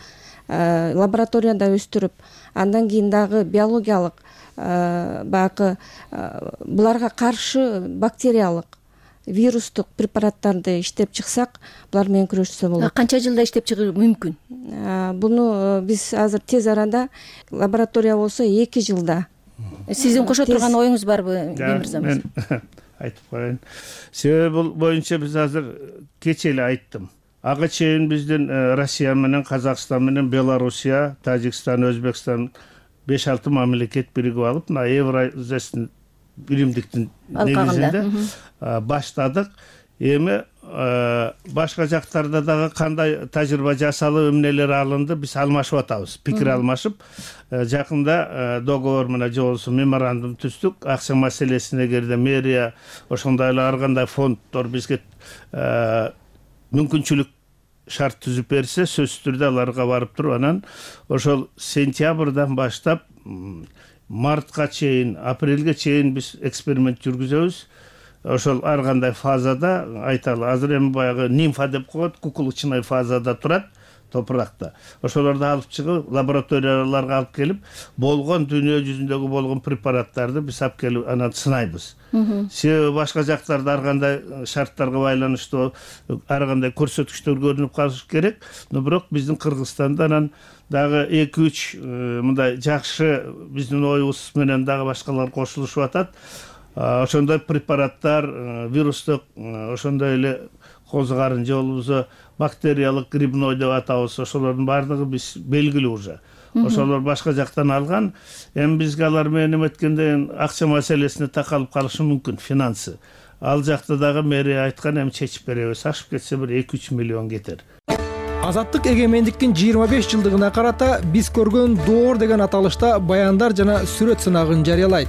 лабораторияда өстүрүп, андан кийин дагы биологиялык баягы буларга каршы бактериялык вирустук препараттарды иштеп чыксак, булар менен күрөшсө болот. Канча жылда иштеп чыгуу мүмкүн? Буну биз азыр тез арада, лаборатория болсо эки жылда. Сиздин кошо турган оюңуз барбы, Бемирза? Мен айтып коеюн. Себеби бул боюнча биз азыр кече эле айттым. Ага чейин биздин Россия менен, Казакстан менен, Белоруссия, Тажикстан, Өзбекстан беш алты мамлекет биригип алып, мына Евразиясын биримдиктин негизинде баштадык. Эми башка жактарда дагы кандай тажрыйба жасалып эмнелер алынды, биз алмашып атабыз, пикир алмашып. Жакында договор менен же болбосо меморандум түздүк. Акча маселесине эгерде мэрия ошондой эле ар кандай фонддор бизге мүмкүнчүлүк шарт түзүп берсе, сөзсүз түрдө аларга барып туруп, анан ошол сентябрдан баштап мартка чейин, апрелге чейин биз эксперимент жүргүзөбүз. Ошол ар кандай фазада, айталы, азыр эми баягы нимфа деп коет, кукурузчный фазада турат топуракта. Ошолорду алып чыгып, лабораторияларга алып келип, болгон дүйнө жүзүндөгү болгон препараттарды биз алып келип анан сынайбыз. Себеби башка жактарда ар кандай шарттарга байланыштуу ар кандай көрсөткүчтөр көрүнүп калышы керек. Но бирок биздин Кыргызстанда анан дагы эки үч мындай жакшы биздин оюбуз менен дагы башкалар кошулушуп атат. Ошондой препараттар, вирустук, ошондой эле козгарын же болбосо бактериялык грибной деп атабыз, ошолордун баардыгы биз белгилүү уже. Ошолор башка жактан алган. Эми бизге алар менен эметкенде акча маселесине такалып калышы мүмкүн, финансы. Ал жакта дагы мэрия айткан, эми чечип беребиз. Ашып кетсе бир эки үч миллион кетер. Азаттык эгемендиктин жыйырма беш жылдыгына карата биз көргөн доор деген аталышта баяндар жана сүрөт сынагын жарыялайт.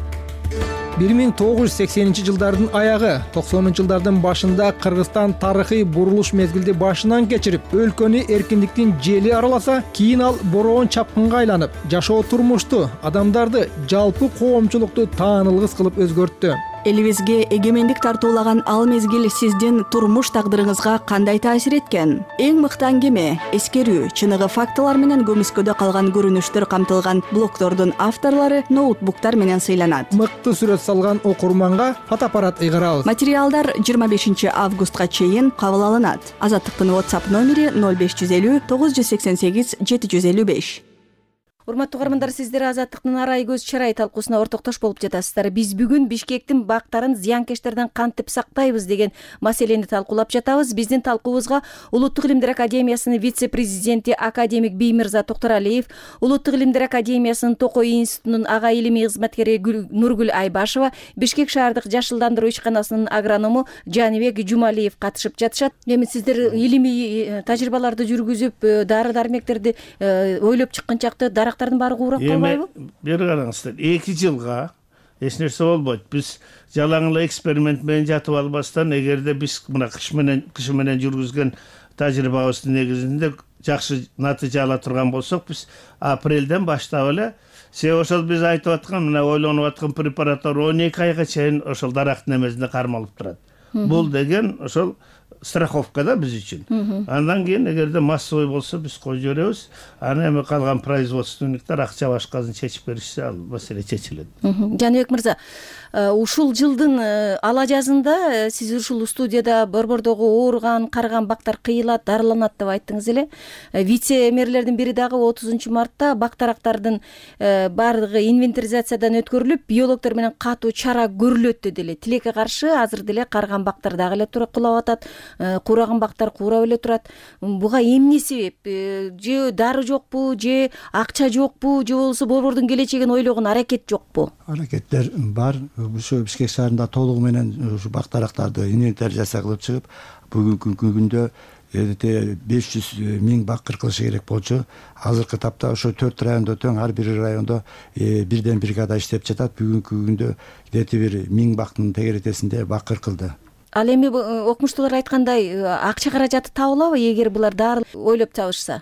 бир миң тогуз жүз сексенинчи жылдардын аягы, токсонунчу жылдардын башында Кыргызстан тарыхый бурулуш мезгилди башынан кечирип, өлкөнү эркиндиктин жели араласа, кийин ал бороон чапкынга айланып, жашоо турмушту, адамдарды, жалпы коомчулукту таанылгыс кылып өзгөрттү. Элибизге эгемендик тартуулаган ал мезгил сиздин турмуш тагдырыңызга кандай таасир эткен? Эң мыкты аңгеме, эскерүү, чыныгы фактылар менен көмүскөдө калган көрүнүштөр камтылган блогдордун авторлору ноутбуктар менен сыйланат. Мыкты сүрөт салган окурманга фотоаппарат ыйгарабыз. Материалдар жыйырма бешинчи августка чейин кабыл алынат. Азаттыктын WhatsApp номери ноль беш жүз элүү тогуз жүз сексен сегиз жети жүз элүү беш. Урматтуу угармандар, сиздер Азаттыктын арай көз чарай талкуусуна ортоктош болуп жатасыздар. Биз бүгүн Бишкектин бактарын зыянкечтерден кантип сактайбыз деген маселени талкуулап жатабыз. Биздин талкуубузга Улуттук илимдер академиясынын вице-президенти академик Биймырза Токторалиев, Улуттук илимдер академиясынын Токой институтунун ага илимий кызматкери Нургүл Айбашева, Бишкек шаардык жашылдандыруу ишканасынын агроному Жаныбек Жумалиев катышып жатышат. Эми сиздер илимий тажрыйбаларды жүргүзүп, дары-дармектерди ойлоп чыккан чакта дарактардын баары куурап калбайбы? Бери караңыздар, эки жылга эч нерсе болбойт. Биз жалаң эле эксперимент менен жатып албастан, эгерде биз мына кыш менен кышы менен жүргүзгөн тажрыйбабыздын негизинде жакшы натыйжа ала турган болсок, биз апрелден баштап эле, себеби ошол биз айтып аткан, мына ойлонуп аткан препараттар он эки айга чейин ошол дарактын эмесинде кармалып турат. Бул деген ошол страховка да биз үчүн. Андан кийин эгерде массовый болсо биз коюп жиберебиз. Аны эми калган производственниктер акча башкасын чечип беришсе, ал маселе чечилет. Жаныбек мырза, ушул жылдын ала жазында сиз ушул студияда борбордогу ооруган, карыган бактар кыйылат, дарыланат деп айттыңыз эле. Вице-мэрлердин бири дагы отузунчу мартта бактарактардын баардыгы инвентаризациядан өткөрүлүп, биологдор менен катуу чара көрүлөт деди эле. Тилекке каршы азыр деле карыган бактар дагы эле кулап атат, кураган бактар курап эле турат. Буга эмне себеп? Же дары жокпу, же акча жокпу, же болбосо борбордун келечегин ойлогон аракет жокпу? Аракеттер бар. Ушу Бишкек шаарында толугу менен ушу бактарактарды инвентаризация кылып чыгып, бүгүнкү күндө беш жүз миң бак кыркылышы керек болчу. Азыркы тапта ошо төрт райондо тең, ар бир райондо бирден бригада иштеп жатат. Бүгүнкү күндө где-то бир миң бактын тегеретесинде бак кыркылды. Ал эми окумуштуулар айткандай акча каражаты табылабы эгер булар дары ойлоп табышса?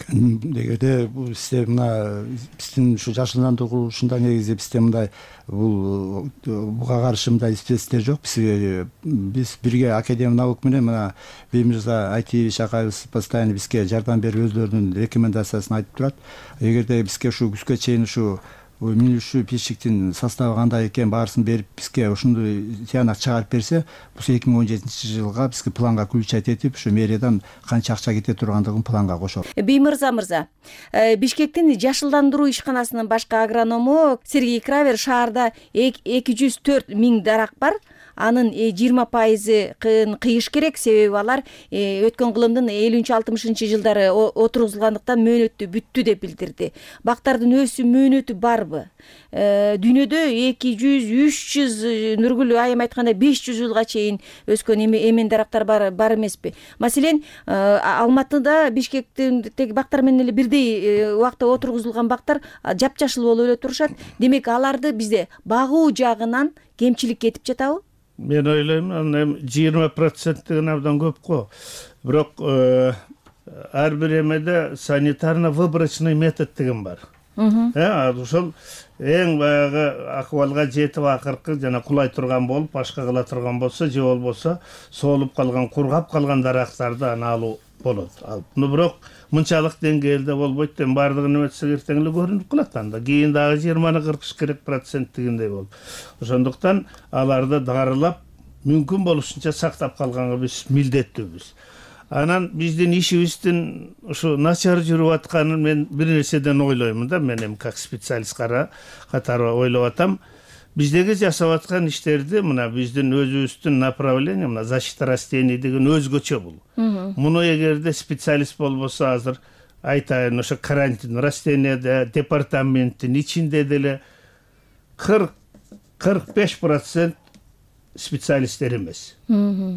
Эгерде бул система биздин ушу жашылдандыруушунда негизи бизде мындай бул буга каршы мындай спецтер жок. Биз биз бирге Академия наук менен мына Биймырза Айтиевич акайыбыз постоянно бизге жардам берип өздөрүнүн рекомендациясын айтып турат. Эгерде бизге ушу күзгө чейин ушу минүшүү печиктин составы кандай экен баарысын берип бизге ошондой тыянак чыгарып берсе, бул эки миң он жетинчи жылга бизге планга включать этип, ушу мэриядан канча акча кете тургандыгын планга кошот. Биймырза мырза, Бишкектин жашылдандыруу ишканасынын башкы агроному Сергей Кравер шаарда эки жүз төрт миң дарак бар. анын жыйырма пайызын кыйыш керек, себеби алар өткөн кылымдын элүүнчү алтымышынчы жылдары отургузулгандыктан мөөнөтү бүттү деп билдирди. Бактардын өсүү мөөнөтү барбы? Дүйнөдө эки жүз үч жүз Нургүл айым айткандай беш жүз жылга чейин өскөн эмен дарактар бар бар эмеспи? Маселен, Алматыда, Бишкектеги бактар менен эле бирдей убакта отургузулган бактар жапжашыл болуп эле турушат. Демек аларды бизде багуу жагынан кемчилик кетип жатабы? Мен ойлойм, анан жыйырма процент деген абдан көп го. Бирок ар бир эмеде санитарно-выборочный метод деген бар. Ошол эң баягы акыбалга жетип акыркы жана кулай турган болуп, башка кыла турган болсо, же болбосо соолуп калган, кургап калган дарактарды аны алуу болот. Ал бирок мынчалык деңгээлде болбойт, эми баардыгын эметсек эртең эле көрүнүп калат анда. Кийин дагы жыйырманы кыркыш керек процент дегендей болуп. Ошондуктан аларды дарылап, мүмкүн болушунча сактап калганга биз милдеттүүбүз. Анан биздин ишибиздин ушу начар жүрүп атканын мен бир нерседен ойлоймун да, мен эми как специалист катары ойлоп атам. Биздеги жасап аткан иштерди мына биздин өзүбүздүн направление, мына защита растений деген өзгөчө бул. Муну эгерде специалист болбосо азыр айтайын, ошо карантин растенияда департаменттин ичинде деле кырк кырк беш процент специалисттер эмес.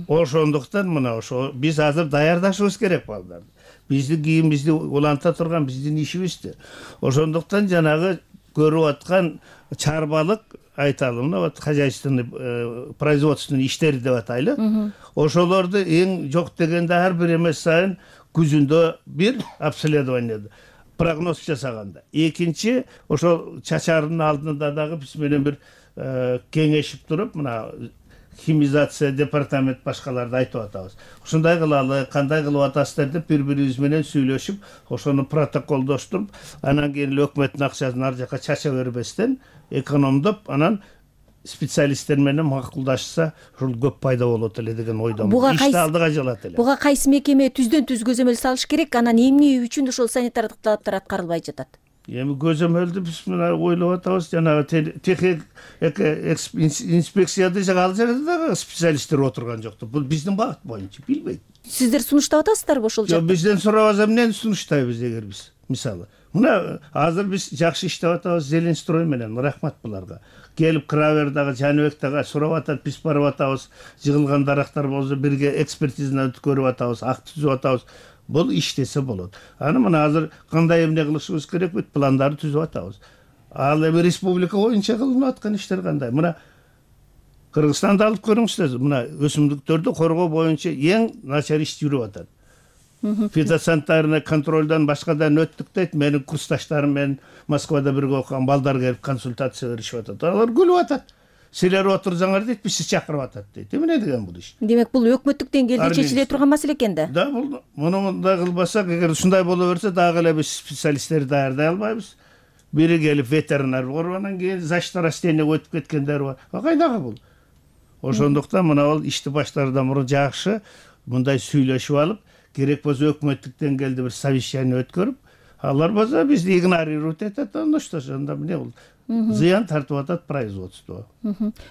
Ошондуктан мына ошо биз азыр даярдашыбыз керек балдарды. Бизди кийин бизди уланта турган биздин ишибизди. Ошондуктан жанагы көрүп аткан чарбалык айталы, мына вот хозяйственный производственный иштери деп атайлы. Ошолорду эң жок дегенде ар бир эмес сайын күзүндө бир обследованияда прогноз жасаганда. Экинчи, ошол чачардын алдында дагы биз менен бир кеңешип туруп, мына химизация департамент башкаларды айтып атабыз. Ушундай кылалы, кандай кылып атасыздар деп бири-бирибиз менен сүйлөшүп, ошону протоколдоштуруп, анан кийин өкмөттүн акчасын ар жака чача бербестен экономдоп, анан специалисттер менен макулдашса, ушул көп пайда болот эле деген ойдомун. Ишти алдыга жылат эле. Буга кайсы мекеме түздөн түз көзөмөл салыш керек, анан эмне үчүн ошол санитардык талаптар аткарылбай жатат? Эми көзөмөлдү биз мына ойлоп атабыз, жанагы техник инспекцияда ал жерде дагы специалисттер отурган жокту. Бул биздин багыт боюнча, билбейт. Сиздер сунуштап атасыздарбы ошол жакта? Жок, бизден сурабаса эмнени сунуштайбыз эгер биз? Мисалы, мына азыр биз жакшы иштеп атабыз Зеленстрой менен, рахмат буларга. Келип Кравердагы, Жаныбектагы сурап атат, биз барып атабыз, жыгылган дарактар болсо бирге экспертизаны өткөрүп атабыз, акт түзүп атабыз. Бул иштесе болот. Аны мына азыр кандай эмне кылышыбыз керек бүт пландарды түзүп атабыз. Ал эми республика боюнча кылынып аткан иштер кандай? Мына Кыргызстанды алып көрүңүздөр. Мына өсүмдүктөрдү коргоо боюнча эң начар иш жүрүп атат. Фитосанитарный контролдон башкадан өттүк дейт. Менин курсташтарым менен Москвада бирге окуган балдар келип консультация беришип атат. Алар күлүп атат. Силер отурсаңар дейт, биз чакырып атат дейт. Эмне деген бул иш? Демек бул өкмөттүк деңгээлде чечиле турган маселе экен да. Да, бул муну мындай кылбасак, эгер ушундай боло берсе, дагы эле биз специалисттерди даярдай албайбыз. Бири келип ветеринар болуп, анан кийин защита растения өтүп кеткендер бар. Кайдагы бул? Ошондуктан мына ал ишти баштаардан мурун жакшы мындай сүйлөшүп алып, керек болсо өкмөттүк деңгээлде бир совещание өткөрүп, алар болсо бизди игнорировать этет, анда что ж, анда эмне бул? Зыян тартып атат производство.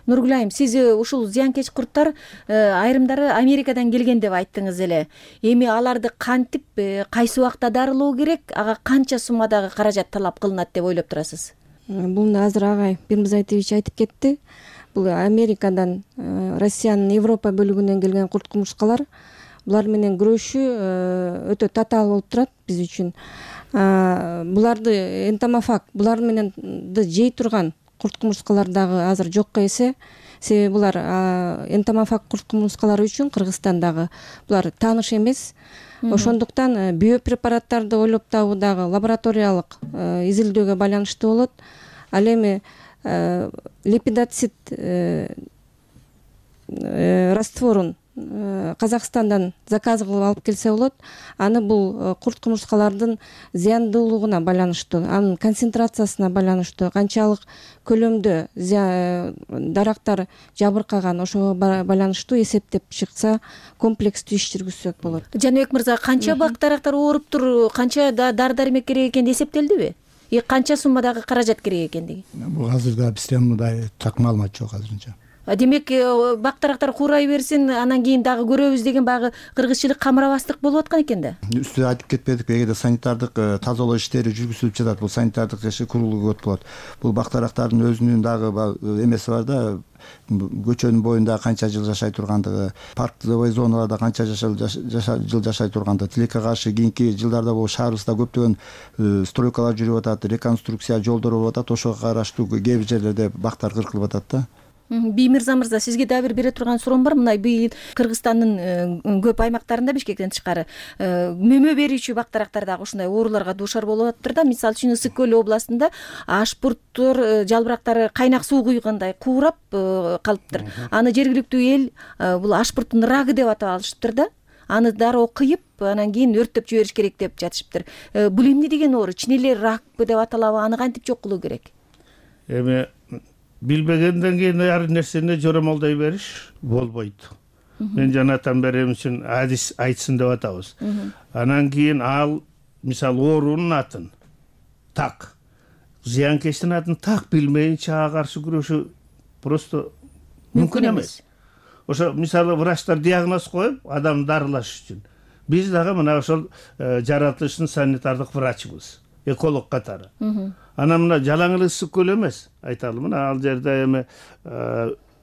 Нургүл айым, сиз ушул зыянкеч курттар айрымдары Америкадан келген деп айттыңыз эле. Эми аларды кантип, кайсы убакта дарылоо керек, ага канча суммадагы каражат талап кылынат деп ойлоп турасыз? Бул азыр агай Бирмузайтович айтып кетти. Бул Америкадан, Россиянын Европа бөлүгүнөн келген курт кумурскалар. Булар менен күрөшүү өтө татаал болуп турат биз үчүн. Буларды энтомофаг, булар менен жей турган курт кумурскалар дагы азыр жокко эсе. Себеби булар энтомофаг курт кумурскалары үчүн Кыргызстандагы булар тааныш эмес. Ошондуктан биопрепараттарды ойлоп табуу дагы лабораториялык изилдөөгө байланыштуу болот. Ал эми лепидоцит растворун Казакстандан заказ кылып алып келсе болот. Аны бул курт кумурскалардын зыяндуулугуна байланыштуу, анын концентрациясына байланыштуу, канчалык көлөмдө дарактар жабыркаган, ошого байланыштуу эсептеп чыкса, комплекстүү иш жүргүзсөк болот. Жаныбек мырза, канча бак дарактар ооруптур, канча дары-дармек керек экени эсептелдиби? И канча суммадагы каражат керек экендиги? Бул азырда бизде мындай так маалымат жок азырынча. демек бак-дарактар куурай берсин, анан кийин дагы көрөбүз деген баягы кыргызчылык камырабастык болуп аткан экен да. Үстү айтып кетпедик, эгерде санитардык тазалоо иштери жүргүзүлүп жатат, бул санитардык иши курулуу өтүп болот. Бул бак-дарактардын өзүнүн дагы эмеси бар да, көчөнүн боюнда канча жыл жашай тургандыгы, парктовый зоналарда канча жыл жашай тургандыгы. Тилекке каршы кийинки жылдарда бул шаарыбызда көптөгөн стройкалар жүрүп атат, реконструкция жолдор болуп атат, ошого караштуу кээ бир жерлерде бактар кыркылып атат да. Биймирза мырза, сизге дагы бир бере турган суроом бар. Мына быйыл Кыргызстандын көп аймактарында, Бишкектен тышкары, мөмө берүүчү бак-дарактар дагы ушундай ооруларга дуушар болуп атыптыр да. Мисалы үчүн Ысык көл областында ашпурттор, жалбырактары кайнак суу куйгандай куурап калыптыр. Аны жергиликтүү эл бул ашпурттун рагы деп атап алышыптыр да. Аны дароо кыйып, анан кийин өрттөп жибериш керек деп жатышыптыр. Бул эмне деген оору? Чын эле ракпы деп аталабы? Аны кантип жок кылуу керек? Эми билбегенден кийин ар нерсени жоромолдой бериш болбойт. Мен жанатан берем үчүн адис айтсын деп атабыз. Анан кийин ал мисалы оорунун атын так, зыянкечтин атын так билмейинче ага каршы күрөшүү просто мүмкүн эмес. Ошо мисалы врачтар диагноз коюп, адам дарылаш үчүн. Биз дагы мына ошол жаратылыштын санитардык врачыбыз, эколог катары. Анан мына жалаң эле Ысык көл эмес, айталы, мына ал жерде эми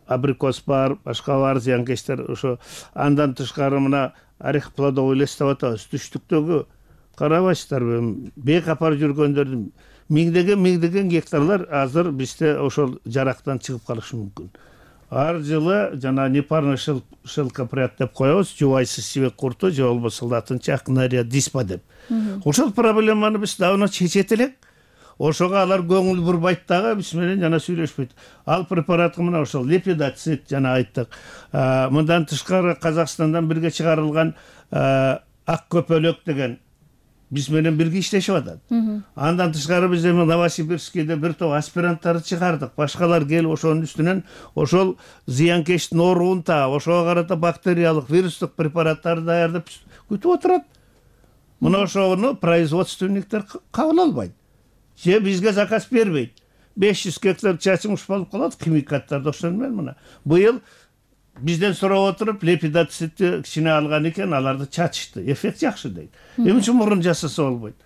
абрикос бар, башка бар, зыянкечтер, ошо андан тышкары мына орех плодовый лес деп атабыз. Түштүктөгү карабайсыздарбы, бек апарып жүргөндөрдүн миңдеген миңдеген гектарлар азыр бизде ошол жарактан чыгып калышы мүмкүн. Ар жылы жана непарный шелкопряд деп коебуз, жубайсыз сибек курту, же болбосо латынча акнария диспа деп. Ошол проблеманы биз давно чечет элек. Ошого алар көңүл бурбайт дагы, биз менен жана сүйлөшпөйт. Ал препаратты мына ошол лепидоцит жана айттык. Мындан тышкары Казакстандан бирге чыгарылган ак көпөлөк деген биз менен бирге иштешип атат. Андан тышкары биз эми Новосибирскийде бир топ аспиранттарды чыгардык. Башкалар келип ошонун үстүнөн ошол зыянкечтин ооруун таап, ошого карата бактериялык, вирустук препараттарды даярдап күтүп отурат. Мына ошону производственниктер кабыл албайт. Же бизге заказ бербейт. беш жүз гектар чачымыш болуп калат, химикаттарды ошон менен мына. Быйыл бизден сурап отуруп, лепидоцитти кичине алган экен, аларды чачышты. Эффект жакшы дейт. Эмне үчүн мурун жасаса болбойт?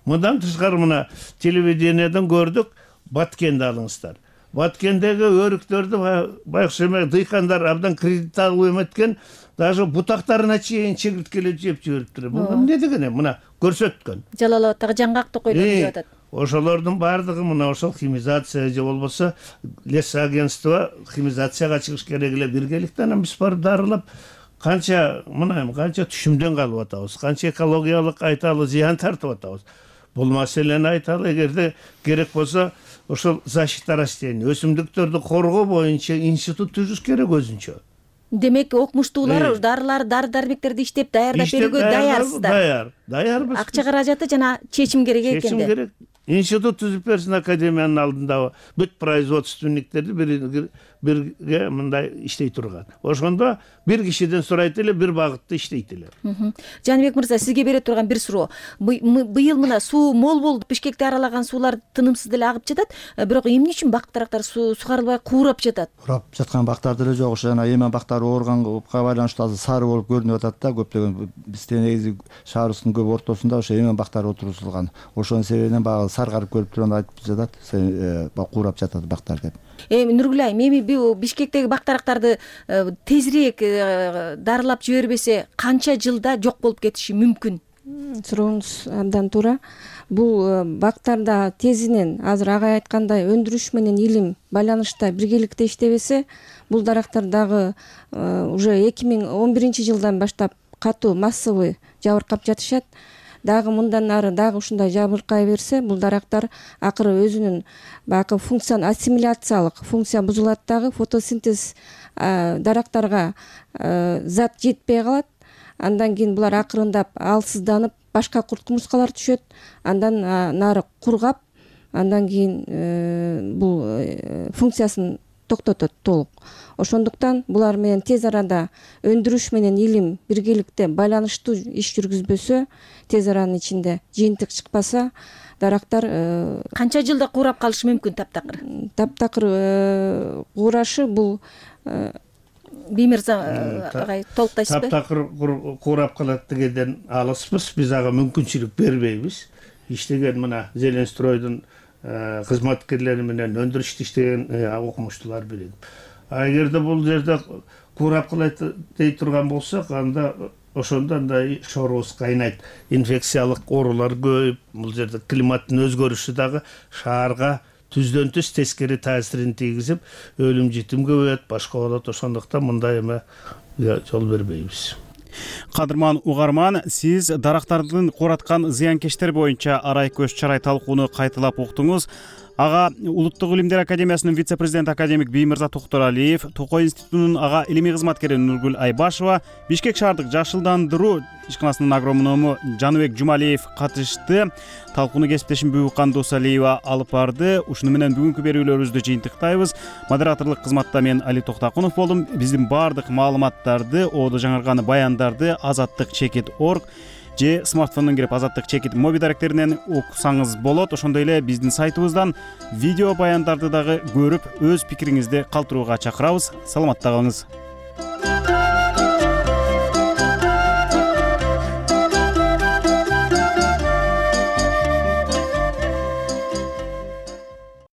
Мындан тышкары мына телевидениеден көрдүк, Баткенди алыңыздар. Баткендеги өрүктөрдү байкуш эме дыйкандар абдан кредит алып эметкен, даже бутактарына чейин чегирткелеп жеп жибериптир. Бул эмне деген эми мына көрсөткөн. Жалал Абадтагы жаңгак токойлор деп атат. Ошолордун баардыгы мына ошол химизация же болбосо лес агентство химизацияга чыгыш керек эле биргеликте. Анан биз барып дарылап канча мына канча түшүмдөн калып атабыз, канча экологиялык айталы зыян тартып атабыз. Бул маселени айталы, эгерде керек болсо ошол защита растений, өсүмдүктөрдү коргоо боюнча институт түзүш керек өзүнчө. Демек окумуштуулар дарылар, дары-дармектерди иштеп даярдап берүүгө даярсыздар. Даяр, даярбыз. Акча каражаты жана чечим керек экен. Чечим керек. Институт түзүп берсин академиянын алдында бүт производственниктерди бирге мындай иштей турган. Ошондо бир кишиден сурайт эле, бир багытта иштейт эле. Жаныбек мырза, сизге бере турган бир суроо. Быйыл мына суу мол болуп, Бишкекти аралаган суулар тынымсыз деле агып жатат, бирок эмне үчүн бак-дарактар сугарылбай куурап жатат? Куурап жаткан бактар деле жок. Ошо жана эмен бактар ооруганга байланыштуу азыр сары болуп көрүнүп атат да, көптөгөн бизде негизи шаарыбыздын көп ортосунда ошо эмен бактар отургузулган. Ошонун себебинен баягы саргарып көрүп турганда айтып жатат, куурап жатат бактар деп. Эми Нургүл айым, эми бул Бишкектеги бак-дарактарды тезирээк дарылап жибербесе канча жылда жок болуп кетиши мүмкүн? Сурооңуз абдан туура. Бул бактарда тезинен азыр агай айткандай өндүрүш менен илим байланышта биргеликте иштебесе, бул дарактар дагы уже эки миң он биринчи жылдан баштап катуу массовый жабыркап жатышат. Дагы мындан ары дагы ушундай жабыркай берсе, бул дарактар акыры өзүнүн баягы функцияны ассимиляциялык функция бузулат, дагы фотосинтез дарактарга зат жетпей калат. Андан кийин булар акырындап алсызданып, башка курт кумурскалар түшөт. Андан нары кургап, андан кийин бул функциясын токтотот толук. Ошондуктан булар менен тез арада өндүрүш менен илим биргеликте байланыштуу иш жүргүзбөсө, тез аранын ичинде жыйынтык чыкпаса, дарактар канча жылда куурап калышы мүмкүн таптакыр таптакыр куурашы бул биймырза агай толуктайсызбы? Таптакыр куурап калат дегенден алыспыз, биз ага мүмкүнчүлүк бербейбиз. Иштеген мына Зеленстройдун кызматкерлери менен өндүрүштө иштеген окумуштуулар билет. А эгерде бул жерде куурап калат дей турган болсок, анда ошондо андай шорубуз кайнайт, инфекциялык оорулар көбөйүп, бул жерде климаттын өзгөрүшү дагы шаарга түздөн түз тескери таасирин тийгизип, өлүм житим көбөйөт, башка болот. Ошондуктан мындай эме жол бербейбиз. Кадырман угарман, сиз дарактардын куураткан зыянкечтери боюнча арай көз чарай талкууну кайталап уктуңуз. Ага Улуттук илимдер академиясынын вице-президенти академик Биймырза Токторалиев, Токой институтунун ага илимий кызматкери Нургүл Айбашева, Бишкек шаардык жашылдандыруу ишканасынын агроному Жаныбек Жумалиев катышты. Талкууну кесиптешим Бүгү Кандусалиева алып барды. Ушуну менен бүгүнкү берүүлөрүбүздү жыйынтыктайбыз. Модераторлук кызматта мен Али Токтакунов болдум. Биздин баардык маалыматтарды, оодо жаңырган баяндарды азаттык чекит точка орг же смартфондон кирип азаттык чекит моби даректеринен окусаңыз болот. Ошондой эле биздин сайтыбыздан видео баяндарды дагы көрүп, өз пикириңизди калтырууга чакырабыз. Саламатта калыңыз.